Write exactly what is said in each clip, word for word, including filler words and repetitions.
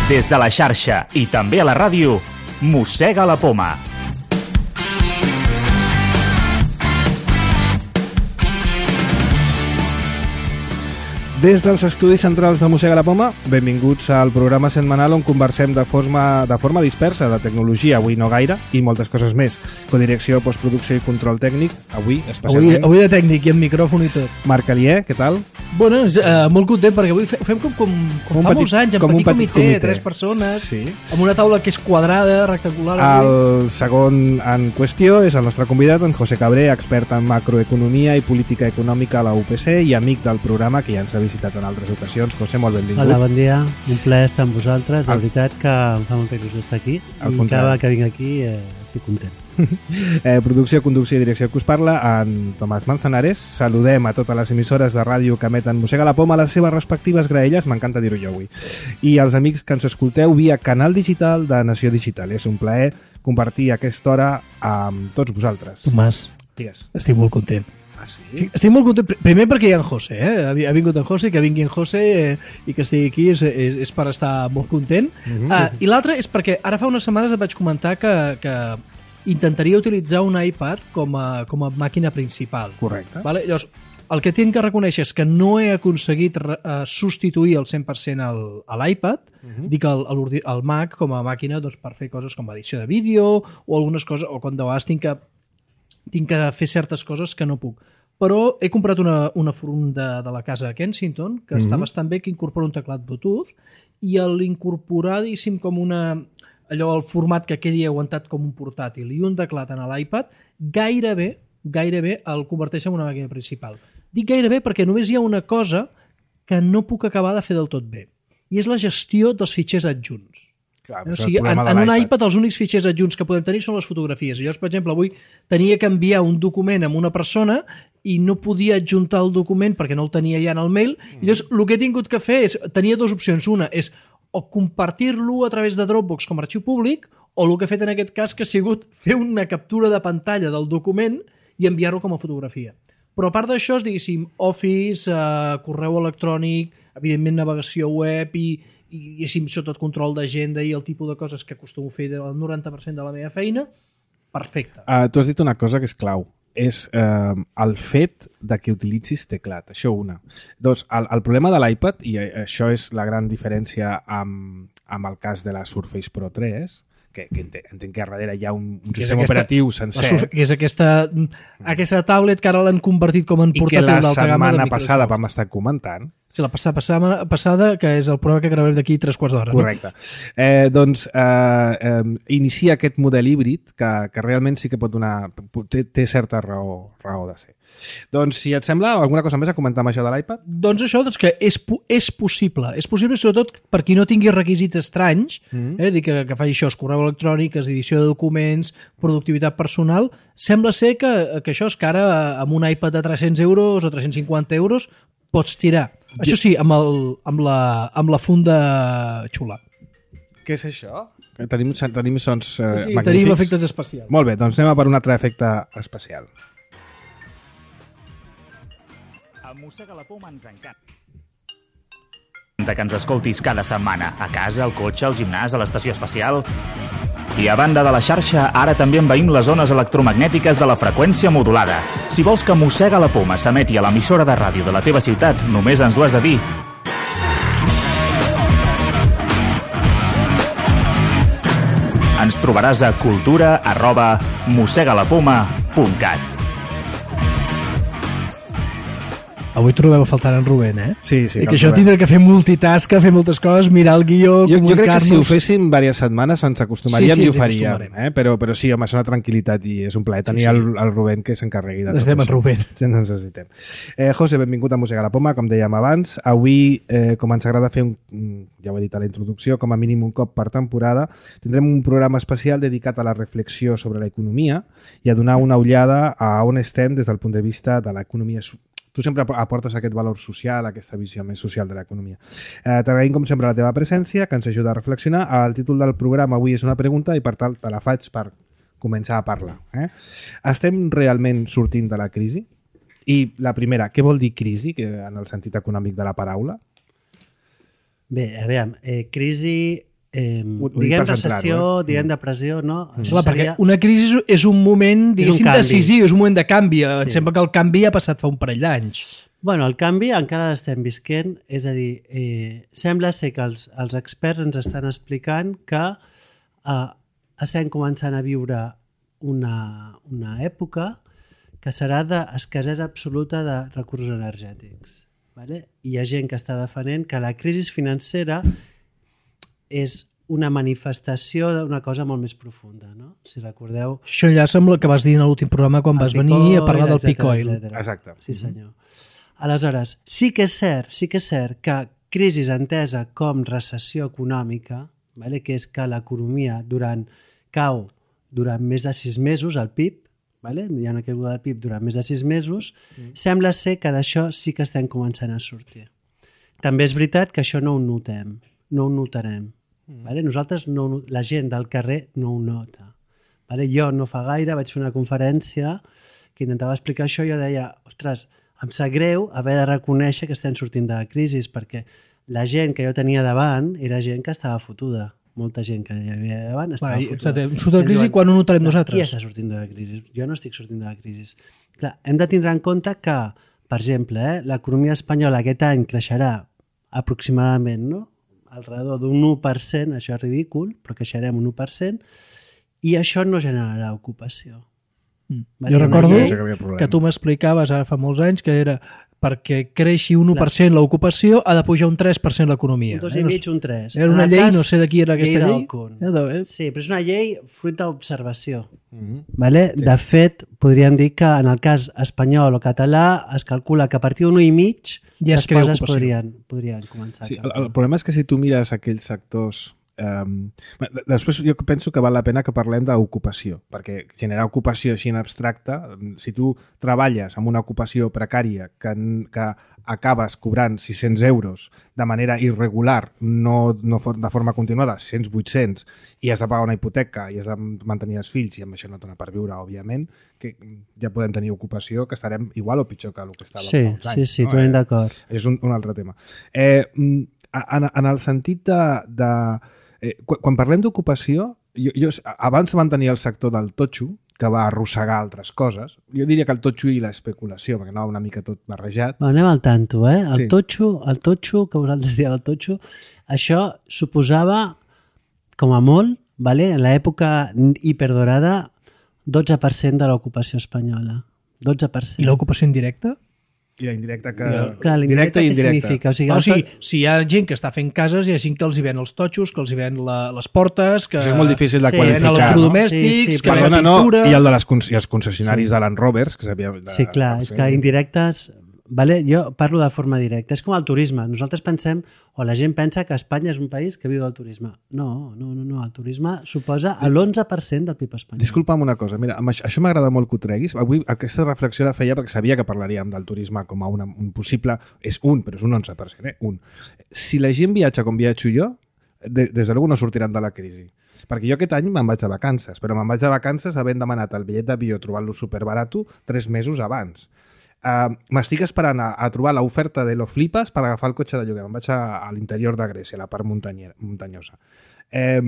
Des de la xarxa i també a la ràdio, Mossega la Poma. Des dels estudis centrals de Mossega la Poma, benvinguts al programa setmanal on conversem de forma, de forma dispersa de tecnologia, avui no gaire, i moltes coses més. Codirecció, postproducció i control tècnic, avui especialment. Avui, avui de tècnic i amb micròfon i tot. Marc Alier, què tal? Bueno, eh, molt content perquè avui fe- fem com, com, com, com fa petit, molts anys, en com petit, un petit comitè, comitè, tres persones, sí. Amb una taula que és quadrada, rectangular. El segon en qüestió és el nostre convidat, en José Cabré, expert en macroeconomia i política econòmica a la U P C i amic del programa que ja ens ha visitat en altres ocasions. José, molt benvingut. Hola, bon dia. Un plaer estar amb vosaltres. La veritat que em fa molta il·lusió estar aquí. I cada que vinc aquí eh, estic content. eh, producció, conducció i direcció que us parla en Tomàs Manzanares. Saludem a totes les emissores de ràdio que emeten Mossega la Poma a les seves respectives graelles, m'encanta dir-ho jo avui, i els amics que ens escolteu via canal digital de Nació Digital. És un plaer compartir aquesta hora amb tots vosaltres. Tomàs, Digues. estic molt content. Ah, sí? Sí, estic molt content, primer perquè hi ha en José, eh? ha vingut en José, que vingui en José eh, i que estigui aquí és, és, és per estar molt content. Mhm. uh, I l'altre és perquè ara fa unes setmanes et vaig comentar que, que intentaria utilitzar un iPad com a, com a màquina principal. Correcte. Vale? Llavors, el que tinc que reconèixer és que no he aconseguit uh, substituir el cent per cent el, a l'iPad, uh-huh. dic el, el, el Mac com a màquina doncs, per fer coses com edició de vídeo o algunes coses, o quan de vegades tinc que, tinc que fer certes coses que no puc. Però he comprat una, una front de, de la casa de Kensington, que uh-huh. està bastant bé, que incorpora un teclat Bluetooth, i l'incorporar, diguéssim, com una... allò, el format que quedi aguantat com un portàtil i un teclat en l'iPad, gairebé, gairebé el converteix en una màquina principal. Dic gairebé perquè només hi ha una cosa que no puc acabar de fer del tot bé, i és la gestió dels fitxers adjunts. Clar, O sigui, en, en un iPad els únics fitxers adjunts que podem tenir són les fotografies. I llavors, per exemple, avui tenia que enviar un document a una persona i no podia adjuntar el document perquè no el tenia ja en el mail. I llavors, el que he tingut que fer és... Tenia dues opcions. Una és o compartir-lo a través de Dropbox com a arxiu públic, o el que he fet en aquest cas que ha sigut fer una captura de pantalla del document i enviar-lo com a fotografia. Però a part d'això, diguéssim, Office, eh, correu electrònic, evidentment navegació web i, i diguéssim, sobretot control d'agenda i el tipus de coses que acostumo a fer del noranta per cent de la meva feina, perfecte. Uh, tu has dit una cosa que és clau. És eh, el fet de que utilitzis teclat, això una. Doncs el, el problema de l'iPad, i això és la gran diferència amb, amb el cas de la Surface Pro tres, que, que entenc, entenc que a darrere hi ha un, un sistema aquesta, operatiu sencer. Surf, que és aquesta, aquesta tablet que ara l'han convertit com en portàtil d'alta gamma. I que la setmana passada vam estar comentant. Sí, la passada, passada, que és el programa que gravem d'aquí tres quarts d'hora. Correcte. No? Eh, doncs eh, eh, inicia aquest model híbrid que, que realment sí que pot donar... Té, té certa raó, raó de ser. Doncs, si et sembla, alguna cosa més a comentar amb això de l'iPad? Doncs això, doncs que és, és possible. És possible, sobretot, per qui no tingui requisits estranys, mm-hmm. eh, dir que, que faci això, correu electrònic, edició de documents, productivitat personal. Sembla ser que, que això és que ara amb un iPad de tres-cents euros o tres-cents cinquanta euros pots tirar. Això sí, amb, el, amb, la, amb la funda xula. Què és això? Tenim, tenim sons eh, sí, sí, magnífics. Tenim efectes especials. Molt bé, doncs anem a per un altre efecte especial. A Mossega la Poma ens encanta que ens escoltis cada setmana, a casa, al cotxe, al gimnàs, a l'estació espacial. I a banda de la xarxa, ara també envaïm les zones electromagnètiques de la freqüència modulada. Si vols que Mossega la Poma s'emeti a l'emissora de ràdio de la teva ciutat, només ens ho has de dir. Ens trobaràs a cultura arroba mossegalapoma punt cat. Avui trobem a faltar en Rubén, eh? Sí, sí. I que això tindrà que fer multitask, fer moltes coses, mirar el guió, jo, comunicar-nos... Jo crec que si ho féssim diverses setmanes ens acostumaríem sí, sí, i ho faríem, eh? però, però sí, home, és una tranquil·litat i és un plaer tenir sí, sí. El, el Rubén que s'encarregui de tot Necessitem això. el Rubén. Sí, ens necessitem. Eh, José, benvingut a Mossega la Poma, com dèiem abans. Avui, eh, com ens agrada fer, un, ja ho he dit a la introducció, com a mínim un cop per temporada, tindrem un programa especial dedicat a la reflexió sobre l'economia i a donar una ullada a on estem des del punt de vista de l'economia. Tu sempre aportes aquest valor social, aquesta visió més social de l'economia. Eh, T'agraïm, com sempre, la teva presència, que ens ajuda a reflexionar. El títol del programa avui és una pregunta i, per tant, te la faig per començar a parlar. Eh? Estem realment sortint de la crisi? I la primera, què vol dir crisi, que en el sentit econòmic de la paraula? Bé, a veure, eh, crisi eh, diguem recessió, eh? diguem depressió, no? Mm. Clar, seria... perquè una crisi és un moment, diguéssim, és un decisiu, és un moment de canvi. Sí. Em sembla que el canvi ha passat fa un parell d'anys. Bueno, el canvi encara l'estem visquent, és a dir, eh, sembla ser que els, els experts ens estan explicant que eh, estem començant a viure una, una època que serà d'escassesa absoluta de recursos energètics. Vale? Hi ha gent que està defendent que la crisi financera és una manifestació d'una cosa molt més profunda, no? Si recordeu... Això ja sembla que vas dir en l'últim programa quan vas venir a parlar del peak oil. Exacte. Sí, senyor. Aleshores, sí que és cert, sí que és cert que crisi entesa com recessió econòmica, vale? Que és que l'economia durant cau durant més de sis mesos, el P I B, vale? Hi ha una caiguda del P I B durant més de sis mesos, mm. sembla ser que d'això sí que estem començant a sortir. També és veritat que això no ho notem, no ho notarem. Mm. Vale? Nosaltres, no, la gent del carrer no ho nota. Vale? Jo no fa gaire vaig fer una conferència que intentava explicar això i jo deia, ostres, em sap greu haver de reconèixer que estem sortint de la crisi perquè la gent que jo tenia davant era gent que estava fotuda. Molta gent que hi havia davant estava Va, fotuda. Surt de la crisi quan ho notarem clar, nosaltres? Qui està sortint de la crisi? Jo no estic sortint de la crisi. Clar, hem de tindre en compte que, per exemple, eh, l'economia espanyola aquest any creixerà aproximadament, no? Alrededor d'un u per cent, això és ridícul, però creixerem un u per cent, i això no generarà ocupació. Mm. Vale? Jo recordo que, que tu m'explicaves ara fa molts anys que era perquè creixi un u per cent l'ocupació ha de pujar un tres per cent l'economia. Un dos i mig, un tres. Era una llei, no sé de qui era aquesta llei. llei. Sí, però és una llei fruit d'observació. Mm-hmm. Vale? Sí. De fet, podríem dir que en el cas espanyol o català es calcula que a partir d'un u i mig ja les coses podrien, podrien començar. Sí, el, el problema és que si tu mires aquells sectors... Um, després jo penso que val la pena que parlem d'ocupació, perquè generar ocupació així en abstracte, si tu treballes amb una ocupació precària que, que acabes cobrant sis-cents euros de manera irregular, no, no de forma continuada, sis-cents, vuit-cents, i has de pagar una hipoteca i has de mantenir els fills, i amb això no dona per viure, òbviament, que ja podem tenir ocupació, que estarem igual o pitjor que el que estàvem sí, fa uns anys. Sí, sí, no? totalment d'acord. Això és un, un altre tema. Eh, en, en el sentit de... de Eh, quan, quan parlem d'ocupació, jo, jo, abans van tenir el sector del totxo, que va arrossegar altres coses. Jo diria que el totxo i l'especulació, perquè anava una mica tot barrejat. Va, anem al tanto, eh? El, sí. totxo, el totxo, que vosaltres dieu el totxo, això suposava, com a molt, vale? En l'època hiperdorada, dotze per cent de l'ocupació espanyola. dotze per cent. I l'ocupació indirecta? I la indirecta que... Ja, clar, indirecta i indirecta. O sigui, o sigui, si hi ha gent que està fent cases, hi ha gent que els hi ven els totxos, que els hi ven la, les portes, que... Això és molt difícil de sí, qualificar, no? Electrodomèstics, sí, sí, que fan la pintura... No, i el de les, i els concessionaris sí. de Land Rovers, que sabia... De, sí, clar, és que indirectes... Vale? Jo parlo de forma directa. És com el turisme. Nosaltres pensem, o la gent pensa que Espanya és un país que viu del turisme. No, no, no, no. El turisme suposa l'onze per cent del P I B espanyol. Disculpa'm una cosa. Mira, això, això m'agrada molt que ho treguis. Avui aquesta reflexió la feia perquè sabia que parlaríem del turisme com a una, un possible... És un, però és un onze per cent, eh? Un. Si la gent viatja com viatjo jo, de, des de luego no sortiran de la crisi. Perquè jo aquest any me'n vaig de vacances, però me'n vaig de vacances havent demanat el bitllet d'avió trobant-lo superbarato tres mesos abans. Uh, m'estic esperant a, a trobar l'oferta de lo flipas per agafar el cotxe de lloguer. Me'n vaig a, a l'interior de Grècia, a la part muntanyosa. Eh,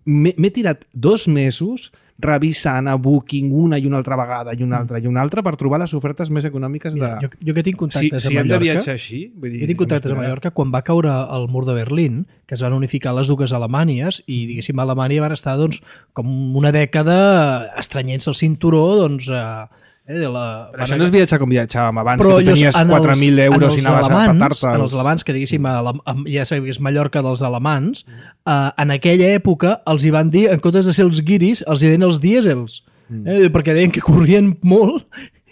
M'he tirat dos mesos revisant a Booking una i una altra vegada i una altra i una altra per trobar les ofertes més econòmiques de... Mira, jo, jo que tinc contactes si, a si Mallorca... Si hem de viatjar així... Vull dir, jo tinc contactes a Mallorca quan va caure el mur de Berlín, que es van unificar les dues Alemanyes i, diguéssim, a Alemanya van estar doncs, com una dècada estranyent-se el cinturó, doncs... Eh, Eh, la... Però això no és viatjar com viatjàvem abans, però que tu tenies quatre mil euros i anaves alemans, a petar-te. En els alemans, que diguéssim, ja sabies Mallorca dels alemans, eh, en aquella època els hi van dir, en comptes de ser els guiris, els hi deien els dièsels, mm. eh, perquè deien que corrien molt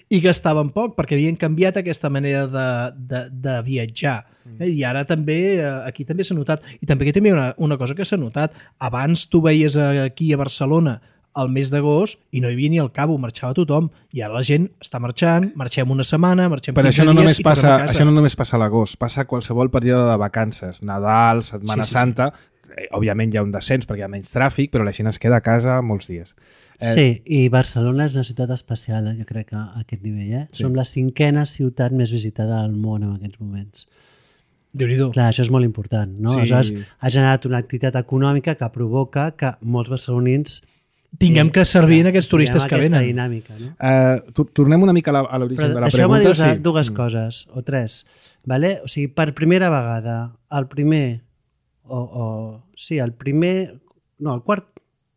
i gastaven poc, perquè havien canviat aquesta manera de, de, de viatjar. Eh, I ara també, aquí també s'ha notat, i també aquí també hi ha una, una cosa que s'ha notat. Abans tu veies aquí a Barcelona al mes d'agost i no hi havia ni al cabo, marxava tothom, i ara la gent està marxant, marxem una setmana, marxem però quinze això no dies només i passa, tornem a casa. Això no només passa a l'agost, passa a qualsevol període de vacances, Nadal, Setmana sí, sí, Santa, sí. Òbviament hi ha un descens perquè hi ha menys tràfic, però la gent es queda a casa molts dies. Eh... Sí, i Barcelona és una ciutat especial, eh? Jo crec que a aquest nivell. Eh? Sí. Som la cinquena ciutat més visitada del món en aquests moments. Déu-n'hi-do. Clar, això és molt important, no? Sí. Aleshores, ha generat una activitat econòmica que provoca que molts barcelonins Tinguem que servir en aquests turistes que aquesta venen. dinàmica, no? Uh, tu- tornem una mica a la- a l'origen Però de la deixeu-me pregunta. dir-vos Sí. dues coses, o tres. Vale? O sigui, per primera vegada, el primer, o, o sí, el primer, no, el quart,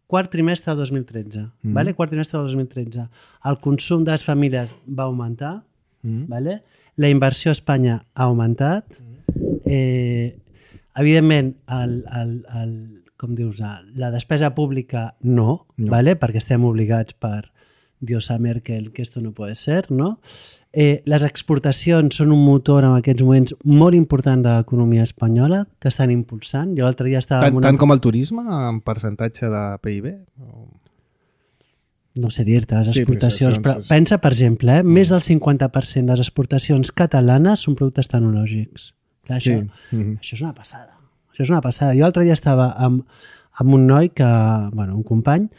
quart trimestre del dos mil tretze, Mm. vale? Quart trimestre del dos mil tretze, el consum de les famílies va augmentar, Mm. vale? La inversió a Espanya ha augmentat, eh, evidentment, el, el, el, com dius, la despesa pública no, No. vale? Perquè estem obligats per Diosa Merkel que esto no puede ser, no? Eh, les exportacions són un motor en aquests moments molt important de l'economia espanyola que estan impulsant. Jo l'altre dia estava... Tant, amb una... tant com el turisme, en percentatge de P I B? O... No sé dir-te, les Sí, exportacions, però però, això és- pensa, per exemple, eh, més del cinquanta per cent de les exportacions catalanes són productes tecnològics. Clar, això, Sí. Mhm. això és una passada. Això és una passada. Jo l'altre dia estava amb, amb un noi que, bueno, un company,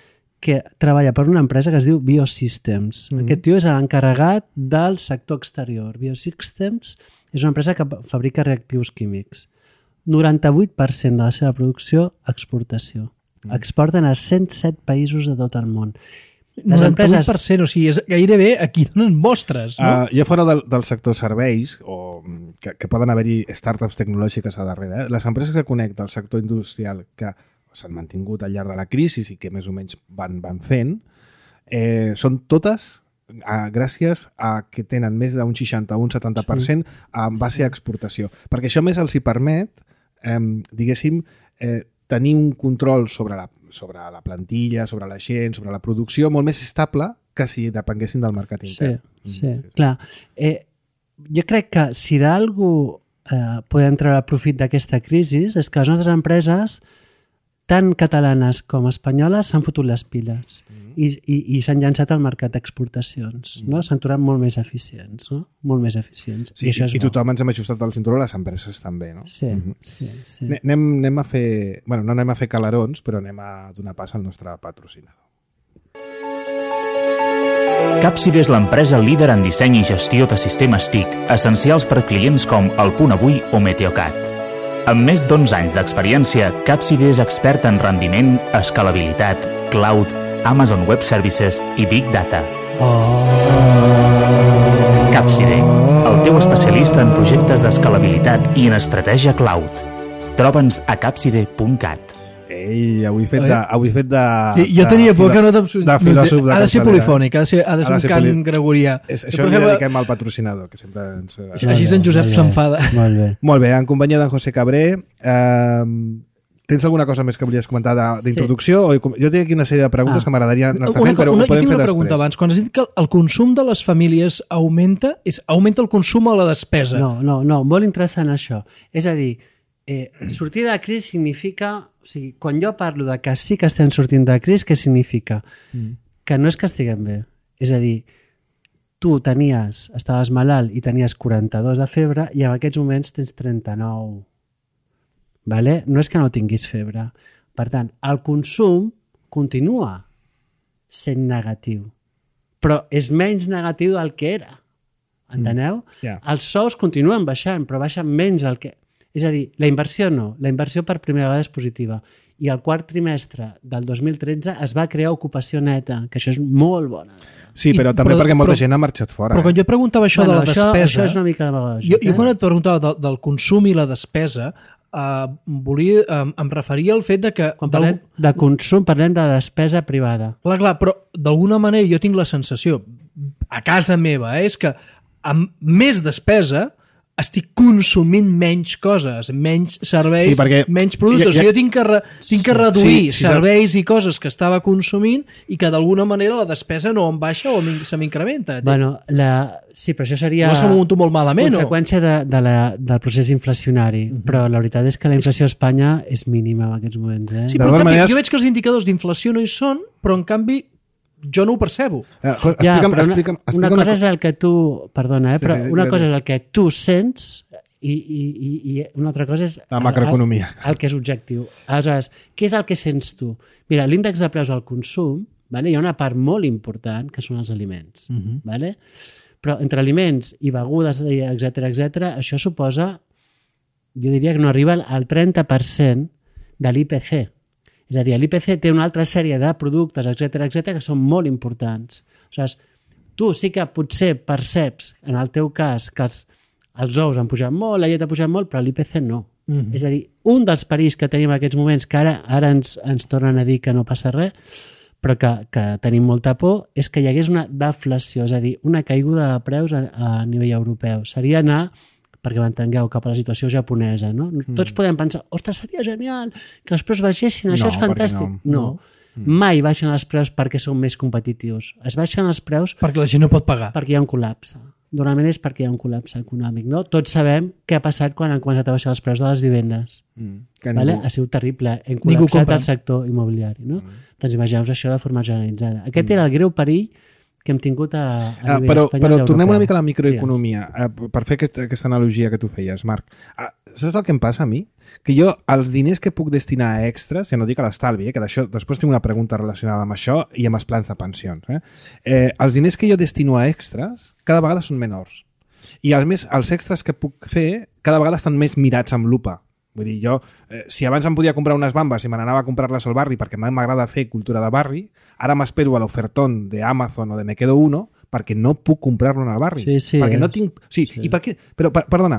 que treballa per una empresa que es diu Biosystems. Mhm. Aquest tio és l'encarregat del sector exterior. Biosystems és una empresa que fabrica reactius químics. noranta-vuit per cent de la seva producció, exportació. Exporten a cent set països de tot el món. Les noranta-vuit empreses... per cent, o sigui, és gairebé aquí donen mostres, no? Uh, ja fora del, del sector serveis, o mm, que, que poden haver-hi startups tecnològiques a darrere, eh? Les empreses que connecten al sector industrial que s'han mantingut al llarg de la crisi i que més o menys van, van fent, eh, són totes eh, gràcies a que tenen més d'un seixanta o un setanta per cent en base a exportació. Perquè això més els hi permet, eh, diguéssim, eh, tenir un control sobre la, sobre la plantilla, sobre la gent, sobre la producció, molt més estable que si depenguessin del mercat Sí, intern. sí, Mm, clar. Eh, jo crec que si d'algú eh, podem treure profit d'aquesta crisi és que les nostres empreses, tant catalanes com espanyoles, s'han fotut les piles Mm. i, i, i s'han llançat al mercat d'exportacions. No? S'han tornat molt més eficients. No? Molt més eficients. Sí, I això és i bo. tothom ens hem ajustat al cinturó, les empreses també, no? Sí, Mhm. sí, sí. Ne- Anem, anem a fer... Bueno, no anem a fer calarons, però anem a donar pas al nostre patrocinador. Capside és l'empresa líder en disseny i gestió de sistemes T I C, essencials per clients com El Punt Avui o Meteocat. Amb més d'onze anys d'experiència, Capside és expert en rendiment, escalabilitat, cloud, Amazon Web Services i Big Data. Capside, el teu especialista en projectes d'escalabilitat i en estratègia cloud. Troba'ns a capside punt cat. Ei, avui fet de... Avui fet de Sí, jo tenia por de, que no t'abs- de filòsof de ha de ser capçalera. polifònic, ha de ser, ha de ser Ha de un ser cant poli- gregorià. És, Per això li exemple, dediquem al patrocinador, que sempre ens... Així en Josep Molt bé, s'enfada. Molt bé. Molt bé, en companyia d'en José Cabré, eh, tens alguna cosa més que volies comentar de- d'introducció? Sí. Jo tinc aquí una sèrie de preguntes Ah. que m'agradaria anar-te Una, fent, però una, ho jo podem tinc fer una després. pregunta abans. Quan has dit que el consum de les famílies augmenta, és augmenta el consum o la despesa? No, no, no, molt interessant això. És a dir, eh, sortir de la crisi significa... O sigui, quan jo parlo de que sí que estem sortint de la crisi, què significa? Mm. Que no és que estiguem bé. És a dir, tu tenies, estaves malalt i tenies quaranta-dos de febre i en aquests moments tens trenta-nou. Vale? No és que no tinguis febre. Per tant, el consum continua sent negatiu, però és menys negatiu del que era. Enteneu? Ja. Els sous continuen baixant, però baixen menys del que... És a dir, la inversió no. La inversió per primera vegada és positiva. I el quart trimestre del dos mil tretze es va crear ocupació neta, que això és molt bona. Sí, I- però també però- perquè molta però- gent ha marxat fora. Però quan eh? jo preguntava això Bueno, de la això, despesa... Això és una mica demagògic. Jo, jo quan eh? et preguntava del, del consum i la despesa, eh, volia, eh, em referia al fet de que... Quan parlem de consum, parlem de despesa privada. Clar, clar, però d'alguna manera jo tinc la sensació, a casa meva, eh, és que amb més despesa estic consumint menys coses, menys serveis, Sí, perquè menys productes. ja- ja- Jo tinc que, re, tinc que reduir Sí, sí, serveis i coses que estava consumint i que d'alguna manera la despesa no em baixa o m'in- se m'incrementa. Bueno, la... sí, però això seria No se m'ho munto molt malament, no? conseqüència de, de la, del procés inflacionari. Uh -huh. Però la veritat és que la inflació a Espanya és mínima en aquests moments. Eh? Sí, De però en totes canvi, maneres- jo veig que els indicadors d'inflació no hi són, però en canvi jo no ho percebo. Eh, Jo, Ja, explica'm, però una, explica'm, explica'm una cosa és co- el que tu... Perdona, eh? Sí, però sí, una gràcies. cosa és el que tu sents i, i, i, i una altra cosa és La macroeconomia. El, el que és objectiu. Aleshores, què és el que sents tu? Mira, l'índex de preus al consum, vale? Hi ha una part molt important que són els aliments. Uh -huh. Vale? Però entre aliments i begudes, etcètera etcètera, això suposa jo diria que no arriba al trenta per cent de l'I P C. És a dir, l'I P C té una altra sèrie de productes, etcètera, etcètera, que són molt importants. O sigui, tu sí que potser perceps, en el teu cas, que els, els ous han pujat molt, la llet ha pujat molt, però l'I P C no. Mm-hmm. És a dir, un dels perills que tenim en aquests moments, que ara, ara ens, ens tornen a dir que no passa res, però que, que tenim molta por, és que hi hagués una deflació, és a dir, una caiguda de preus a, a nivell europeu. Seria anar, perquè m'entengueu, cap a la situació japonesa, no? Mm. Tots podem pensar, ostres, seria genial que els preus baixessin, això no, és fantàstic. No, no. Mm. Mai baixen els preus perquè són més competitius. Es baixen els preus perquè la gent no pot pagar. Perquè hi ha un col·lapse. Normalment és perquè hi ha un col·lapse econòmic, no? Tots sabem què ha passat quan han començat a baixar els preus de les vivendes. Mm. Vale? Ha sigut terrible. Hem col·lapsat el sector immobiliari, no? Mm. Doncs imagineu això de forma generalitzada. Aquest mm. era el greu perill que hem tingut a, a nivell ah, però, espanyol. Però tornem una mica a la microeconomia, uh, per fer aquest, aquesta analogia que tu feies, Marc. Uh, saps el que em passa a mi? Que jo, els diners que puc destinar a extras, ja no dic a l'estalvi, eh, que d'això després tinc una pregunta relacionada amb això i amb els plans de pensions. Eh? Eh, els diners que jo destino a extras cada vegada són menors. I a més, els extras que puc fer cada vegada estan més mirats amb lupa. Vull dir, jo, eh, si abans em podia comprar unes bambes i me n'anava a comprar-les al barri perquè m'agrada fer cultura de barri, ara m'espero a l'ofertón d'Amazon o de Me Quedo Uno perquè no puc comprar-lo en el barri. Sí, sí, perquè és. no tinc... Sí, sí. I per què? Però, per, perdona,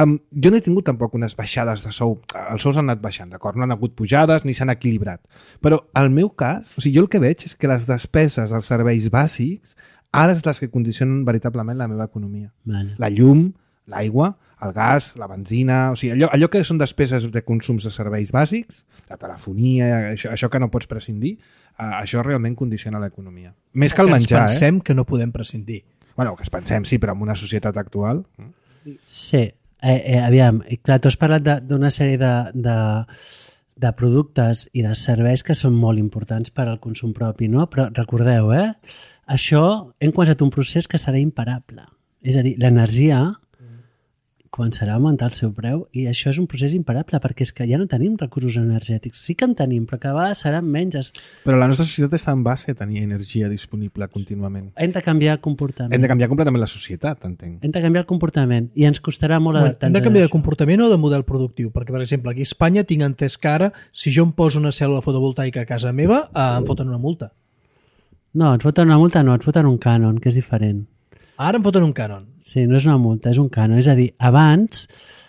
um, jo no he tingut tampoc unes baixades de sou. Els sous han anat baixant, d'acord? No han hagut pujades ni s'han equilibrat. Però al meu cas, o sigui, jo el que veig és que les despeses dels serveis bàsics ara és les que condicionen veritablement la meva economia. Vale. La llum, l'aigua, el gas, la benzina, o sigui, allò, allò que són despeses de consums de serveis bàsics, la telefonia, això, això que no pots prescindir, uh, això realment condiciona l'economia. Més que el menjar, ens pensem eh? que no podem prescindir. Bueno, que es pensem, sí, però en una societat actual... Sí, eh, eh, aviam, clar, tu has parlat d'una sèrie de, de, de productes i de serveis que són molt importants per al consum propi, no? Però recordeu, eh? Això hem començat un procés que serà imparable. És a dir, l'energia començarà a augmentar el seu preu i això és un procés imparable perquè és que ja no tenim recursos energètics. Sí que en tenim, però cada vegada seran menys. Però la nostra societat està en base a tenir energia disponible contínuament. Hem de canviar el comportament. Hem de canviar completament la societat, entenc. Hem de canviar el comportament i ens costarà molt bueno, adaptar-nos. Hem de canviar de comportament o de model productiu? Perquè, per exemple, aquí a Espanya tinc entès que ara, si jo em poso una cèl·lula fotovoltaica a casa meva, eh, em foten una multa. No, ens foten una multa, no, ens foten un cànon, que és diferent. Ara em foten un cànon. Sí, no és una multa, és un cànon. És a dir, abans,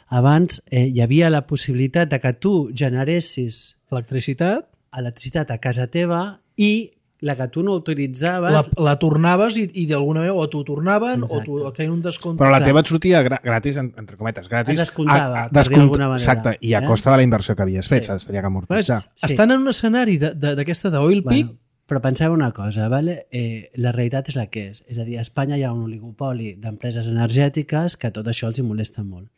abans eh, hi havia la possibilitat de que tu generessis electricitat electricitat a casa teva i la que tu no utilitzaves... La, la tornaves i, i d'alguna manera o t'ho tornaven Exacte. o t'ho et feien un descompte. Però la teva et sortia gra gratis, entre cometes, gratis. Es descomptava, a, a, descompta, d'alguna manera. Exacte, i a eh? costa de la inversió que havies fet, Sí. s'hauria d'amortitzar. Sí. Estan en un escenari d'aquesta d'oil peak. Bueno, però penseu una cosa, vale? eh, la realitat és la que és. És a dir, a Espanya hi ha un oligopoli d'empreses energètiques que tot això els hi molesta molt.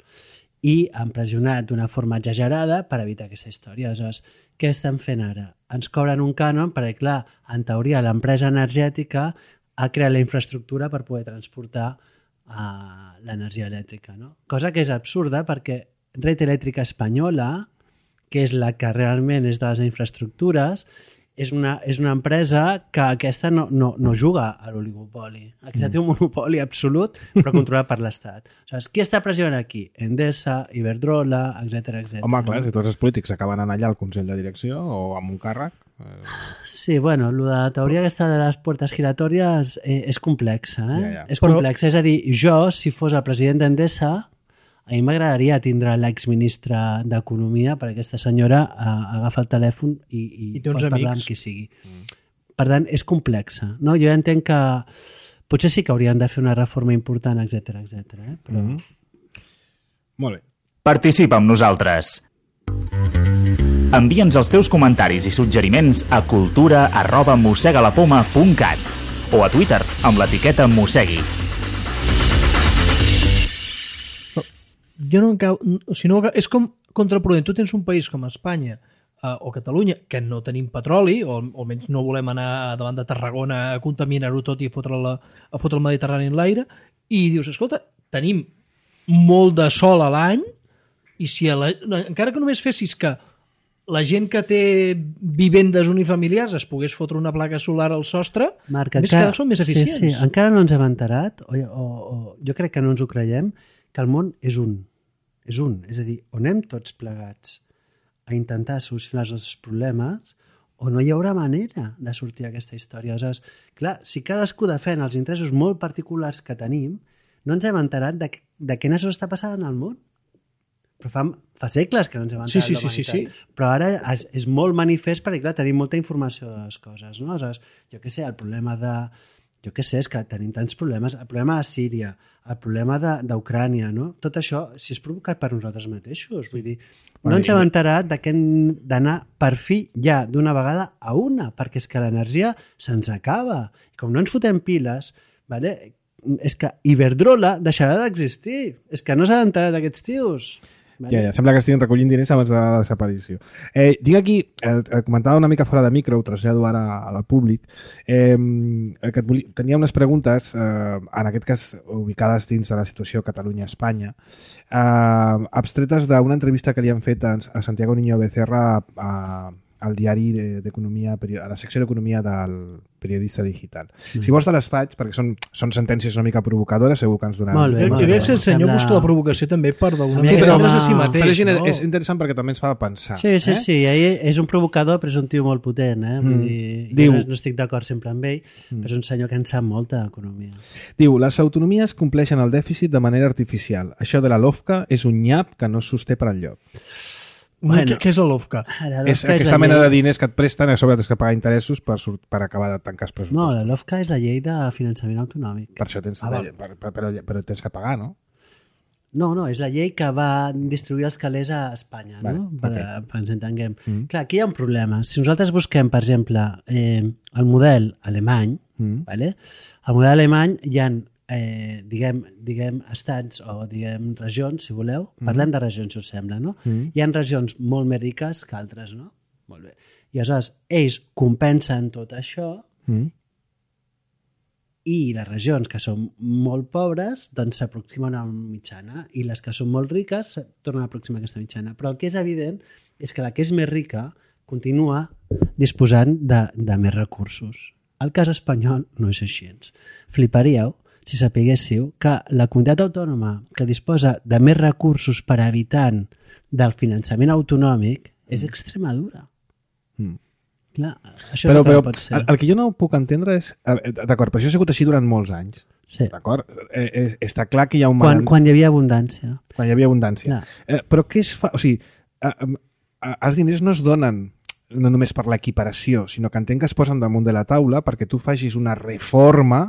I han pressionat d'una forma exagerada per evitar aquesta història. Aleshores, què estan fent ara? Ens cobren un cànon perquè, clar, en teoria l'empresa energètica ha creat la infraestructura per poder transportar uh, l'energia elèctrica. No? Cosa que és absurda perquè Red Eléctrica Espanyola, que és la que realment és de les infraestructures, és una, és una empresa que aquesta no, no, no juga a l'oligopoli. Aquesta mm. té un monopoli absolut, però controlat per l'Estat. O sigui, qui està pressionant aquí? Endesa, Iberdrola, etcètera, etcètera. Home, clar, si tots els polítics acaben anar allà al Consell de Direcció o amb un càrrec... Eh... Sí, bueno, la teoria aquesta de les puertes giratòries eh, és complexa. Eh? Ja, ja. És complexa. Però... És a dir, jo, si fos el president d'Endesa, a mi m'agradaria tindre l'exministre d'Economia perquè aquesta senyora uh, agafa el telèfon i, i, I pot parlar amics. Amb qui sigui. Mm. Per tant, és complexa. No? Jo entenc que potser sí que haurien de fer una reforma important, etcètera, etcètera. Eh? Però... Mm. Molt bé. Participa amb nosaltres. Envia'ns els teus comentaris i suggeriments a cultura arroba mossegalapoma punt cat o a Twitter amb l'etiqueta mossegui. Jo no encau, o sigui, no, és com contraproduent. Tu tens un país com Espanya eh, o Catalunya, que no tenim petroli, o, o almenys no volem anar davant de Tarragona a contaminar-ho tot i a fotre, la, a fotre el Mediterrani en l'aire, i dius, escolta, tenim molt de sol a l'any, i si a la, encara que només fessis que la gent que té vivendes unifamiliars es pogués fotre una placa solar al sostre, Marc, més encara, que són més eficients. Sí, sí, encara no ens hem enterat, o, o, o jo crec que no ens ho creiem, que el món és un. és un. És a dir, o anem tots plegats a intentar solucionar els nostres problemes o no hi haurà manera de sortir d'aquesta història. Aleshores, clar, si cadascú defèn els interessos molt particulars que tenim, no ens hem enterat de, de què està passant al món. Però fa, fa segles que no ens hem enterat sí, sí, de la sí, sí, sí. Però ara és, és molt manifest perquè, clar, tenim molta informació de les coses. No? Aleshores, jo què sé, el problema de... Jo què sé, és que tenim tants problemes. El problema de Síria, el problema d'Ucrània, no? Tot això, si és provocat per nosaltres mateixos, vull dir, no ens hem enterat de que hem d'anar per fi ja d'una vegada a una, perquè és que l'energia se'ns acaba. I com no ens fotem piles, vale? És que Iberdrola deixarà d'existir. És que no s'ha d'enterar d'aquests tios. Vale. Ja, ja, sembla que estiguin recollint diners abans de la desaparició. Eh, tinc aquí, eh, comentava una mica fora de micro, ho trasllado ara al públic, eh, que et volia, tenia unes preguntes, eh, en aquest cas ubicades dins de la situació Catalunya-Espanya, eh, abstretes d'una entrevista que li han fet a, a Santiago Niño Becerra a, a al diari d'Economia, a la secció d'Economia del Periodista Digital. Mm. Si vols te les faig, perquè són, són sentències una mica provocadores, segur que ens donaran... Molt bé, jo crec que el senyor sembla... busca la provocació també per d'alguna sí, manera prendre's a si mateix. Però és, no? és interessant perquè també ens fa pensar. Sí, sí, eh? sí, és un provocador, però és un tio molt potent. Eh? Vull dir, mm. Diu... no, no estic d'acord sempre amb ell, mm. però és un senyor que en sap molta d'economia. Diu, les autonomies compleixen el dèficit de manera artificial. Això de la LOFCA és un nyap que no es sosté per enlloc. Bueno, què és el LOFCA? És aquesta mena de diners que et presten a sobre tens que pagar interessos per, per acabar de tancar els pressupostos. No, la LOFCA és la llei de finançament autonòmic. Per això tens, ah, de, per, per, però, però tens que pagar, no? No, no, és la llei que va distribuir els calés a Espanya, vale, no? Per, okay. per ens entenguem. Mm. Clar, aquí hi ha un problema. Si nosaltres busquem, per exemple, eh, el model alemany, mm. vale? El model alemany hi ha Eh, diguem, diguem estats o diguem regions, si voleu, parlem mm. de regions, si us sembla, no? Mm. Hi ha regions molt més riques que altres, no? Molt bé. I aleshores ells compensen tot això mm. i les regions que són molt pobres doncs s'aproximen a una mitjana i les que són molt riques tornen a aproximar a aquesta mitjana. Però el que és evident és que la que és més rica continua disposant de, de més recursos. El cas espanyol no és així. Fliparíeu si sapiguéssiu que la comunitat autònoma que disposa de més recursos per habitant del finançament autonòmic és Extremadura. Mm. Clar, això però, no però, pot ser. El, el que jo no puc entendre és... D'acord, però això ha sigut així durant molts anys. Sí. D'acord? Eh, eh, està clar que hi ha un... Quan, quan hi havia abundància. Quan hi havia abundància. Eh, però què es fa... O sigui, eh, eh, els diners no es donen no només per l'equiparació, sinó que entenc que es posen damunt de la taula perquè tu facis una reforma